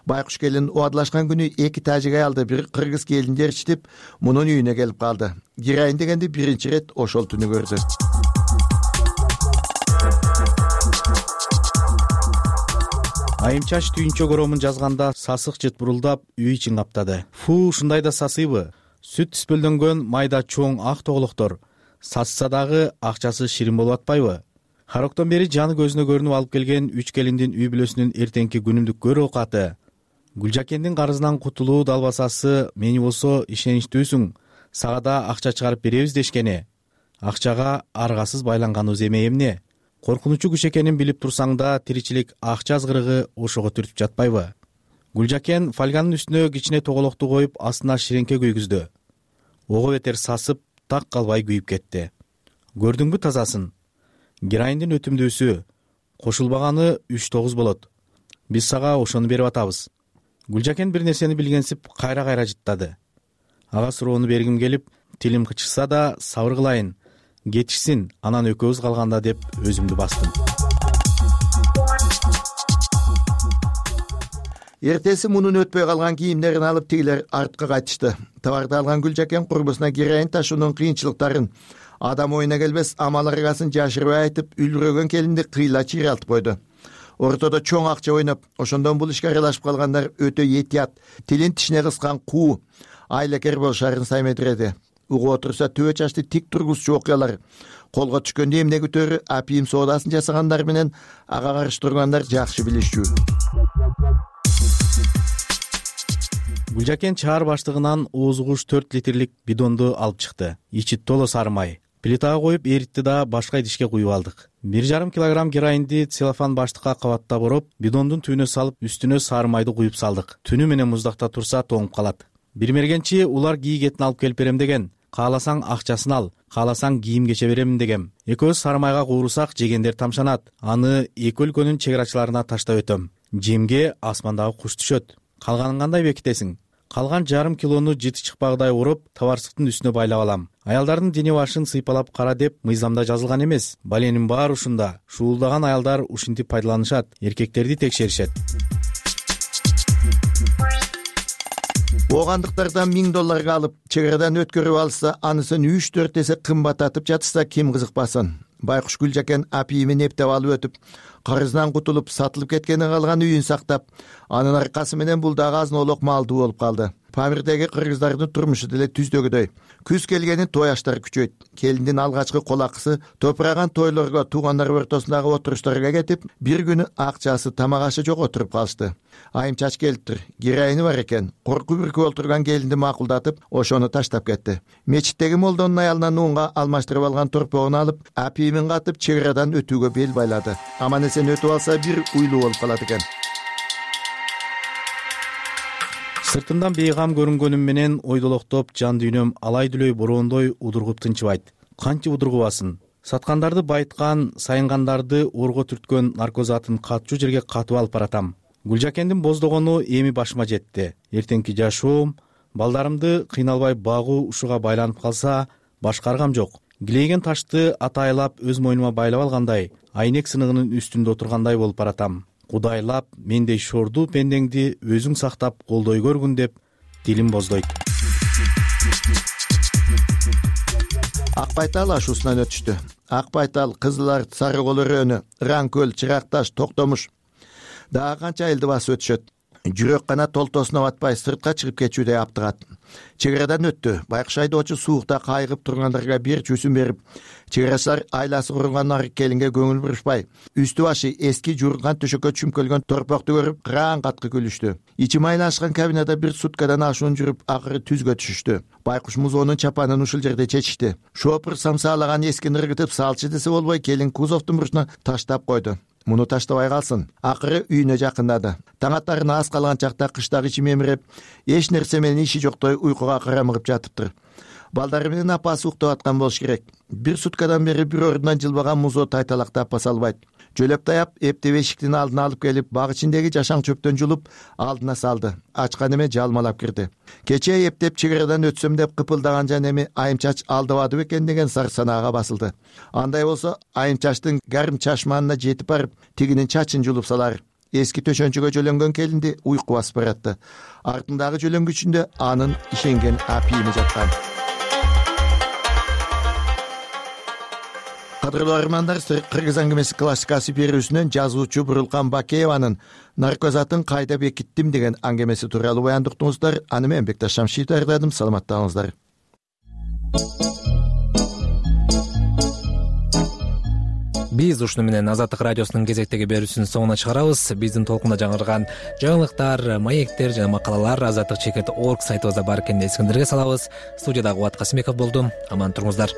V: Байкуш келин убадылашкан күнү 2 тажик аялды бир кыргыз келиндер ичтип, мунун үйүнө келип калды. Кирайын дегенди биринчи ирет ошол түнү көрдү.
G: Айымчаш түйүнчө коромун жазганда сасык жыт бурулдап үй ичин каптады. Фу, ушундай да сасыйбы? Сүт түспөлдөнгөн майда чоң ак тоголоктор. Сасса дагы акчасы ширин болуп атпайбы? Хароктон бери жаны көзүнө көрүнүп алып келген 3 келиндин үй бүлөсүнүн эртеңки күнүмдүк көр оокаты. Гүлжакендин карызынан кутулуу далбасасы мени болсо ишеничтүүсүң, сага да акча чыгарып беребиз дешкени. Акчага аргасыз байланганыбыз эмне эмне? Коркунучу күч экенин билип турсаң да тиричилик акча азгырыгы ошого түртүп жатпайбы? Гүлжакен фольганын үстүнө кичине тоголокту коюп астына ширеңке күйгүздү. Ого бетер сасып, так калбай күйүп кетти. Көрдүңбү тазасын? Героиндин өтүмдүүсү кошулбаганы 3-9 болот. Биз сага ошону берип атабыз. Гүлжакен бир нерсени билгенсип кайра жыттады. Ага суроону бергим келип, тилим кычышса да сабыр кылайын. Кетишсин, анан экөөбүз калганда деп өзүмдү бастым.
V: Эртеси мунун өтпөй калган кийимдерин алып тигилер артка кайтышты. Товарды алган Гүлжакен курбусуна героин ташуунун кыйынчылыктарын, адам оюна келбес амал аргасын жашырбай айтып, үлгүрөгөн келинди кыйла чыйралтып койду. Ортодо чоң акча ойноп, ошондон бул ишке аралашып калгандар өтө этият, тилин тишине кыскан куу, айлакер болушарын саймедиреди. Угуп отурса төбө чачты тик тургузчу окуялар, колго түшкөндө эмне күтөрү апийим соодасын жасагандар менен ага каршы тургандар жакшы билишчү.
G: Гүлжакен чаар баштыгынан оозугуш 4 литрлик бидонду алып чыкты. Ичи толо сары май. Плитага коюп эритти да башка идишке куюп алдык. 1,5 килограмм героинди целлофан баштыкка кабаттап ороп, бидондун түбүнө салып, үстүнө сары майды куюп салдык. Түнү менен муздакта турса тоңуп калат. Бир мергенчи улар кийгетин алып келип берем деген. Кааласаң акчасын ал, кааласаң кийим кече беремин дегем. Экөөбүз сары майга куурусак жегендер тамшанат. Аны эки өлкөнүн чек арачыларына таштап өтөм. Жемге асмандагы куш түшөт. Калганын кандай бекитесиң? Калган 1,5 килону жыты чыкпагыдай уруп, товарсыктын үстүнө байлап алам. Аялдардын дене башын сыйпалап кара деп мыйзамда жазылган эмес. Баленин баары ушунда. Шуулдаган аялдар ушинтип пайдаланышат, эркектерди текшеришет.
V: Оогандыктардан $1000 алып, чек арадан өткөрүп алса, анысын 3-4 эсе кымбаттатып жатса ким кызыкпасын. Байкуш Гүлжакен апийимин эптеп алып өтүп, карызынан кутулуп, сатылып кеткени калган үйүн сактап, анын аркасы менен бул дагы азынолук малдуу болуп калды. Памирдеги кыргыздардын турмушу деле түздөгүдөй. Күз келгенин той аштар күчөйт. Келиндин алгачкы колакысы топураган тойлорго, туугандар ортосундагы отуруштарга кетип, бир күнү акчасы тамак ашы жок отуруп калышты. Айымчач келиптир. Героини бар экен. Коркуп-үркүп отурган келинди макулдатып, ошону таштап кетти. Мечиттеги молдонун аялынан нунга алмаштырып алган торпогун алып, апийимин катып, чек арадан өтүүгө бел байлады. Аман эсен өтүп алса, бир уйлуу болуп калат экен.
G: Сыртымдан бейгам көрүнгөнүм менен ойдолоктоп жан дүйнөм алай дүлөй бороондой удургуп тынчыбайт. Канчы удургубасын? Саткандарды байыткан, сайынгандарды орго түрткөн наркозатын катчу жерге катып алып баратам. Гүлжакендин боздогону эми башыма жетти. Эртеңки жашоом, балдарымды кыйналбай багуу ушуга байланып калса, башка аргам жок. Килейген ташты атайлап өз мойнума байлап алгандай, айнек сыныгынын үстүндө отургандай болуп баратам. Кудайлап, мендей шордуу пендеңди өзүң сактап колдой көргүн деп дилим боздойт.
V: Ак байтал ашуусунан өтүштү. Ак байтал, Кызыл Арт, Сары Кол өрөөнү, Ыран-Көл, Чыракташ, Токтомуш дагы канча элди басып өтүшөт. Жүрөк гана толтосуна батпай сыртка чыгып кетүүдөй аптыгат. Чек арадан өттү. Байкуш айдоочу суукта кайгып тургандарга бир чүүсүн берип, чек арачылар айласы курунган арык келинге көңүл бурушпай, үстү башы эски журган төшөккө чүмкөлгөн торпокту көрүп, кыраан каткы күлүштү. Ичи майлашкан кабинада бир суткадан ашуун жүрүп, акыры түзгө түшүштү. Байкуш музоонун чапанын ушул жерде чечишти. Шопур самсаалаган эскини ыргытып салчы десе болбой, келин кузовдун бурчуна таштап койду. муну таштабай калсын. Акыры үйүнө жакындады. Таң аттарын аз калган чакта кыштагы ичи мемиреп, эч нерсе менен иши жоктой уйкуга карамыгып жатыптыр. Балдары менен апасы уктап аткан болуш керек. Бир суткадан бери бир ордунан жылбаган музоо тайталактап баса албайт. Жөлөп таяп, эптеп эшиктин алдына алып келип, баг ичиндеги жашаң чөптөн жулуп, алдына салды. Ачкан эме жалмалап кирди. Кече эптеп чегерадан өтсөм деп кыпылдаган жан эми айымчач алдабады бекен деген сар санаага басылды. Андай болсо, айымчачтын гарм чашманына жетип барып, тигинин чачын жулуп салар. Эски төшөнчөгө жөлөнгөн келинди уйку басып баратты. Артындагы жөлөнгүчүндө анын ишенген апийими жаткан. Кадырлуу армандар, Кыргыз аңгемеси классикасы берүүсүнөн жазуучу Бурулкан Бакееванын наркоз атын кайда бекиттим деген аңгемеси тууралуу баяндыктыңыздар. Аны мен Бекташ Шамшиев даярдадым. Саламаттаңыздар.
A: Биз ушуну менен Азаттык радиосунун кезектеги берүүсүнүн соңуна чыгарабыз. Биздин толкунда жаңырган жаңылыктар, маектер жана макалалар azattik.org сайтыбызда бар экенин эсиңиздерге салабыз. Студияда Кубат Касымбеков болду. Аман туруңуздар.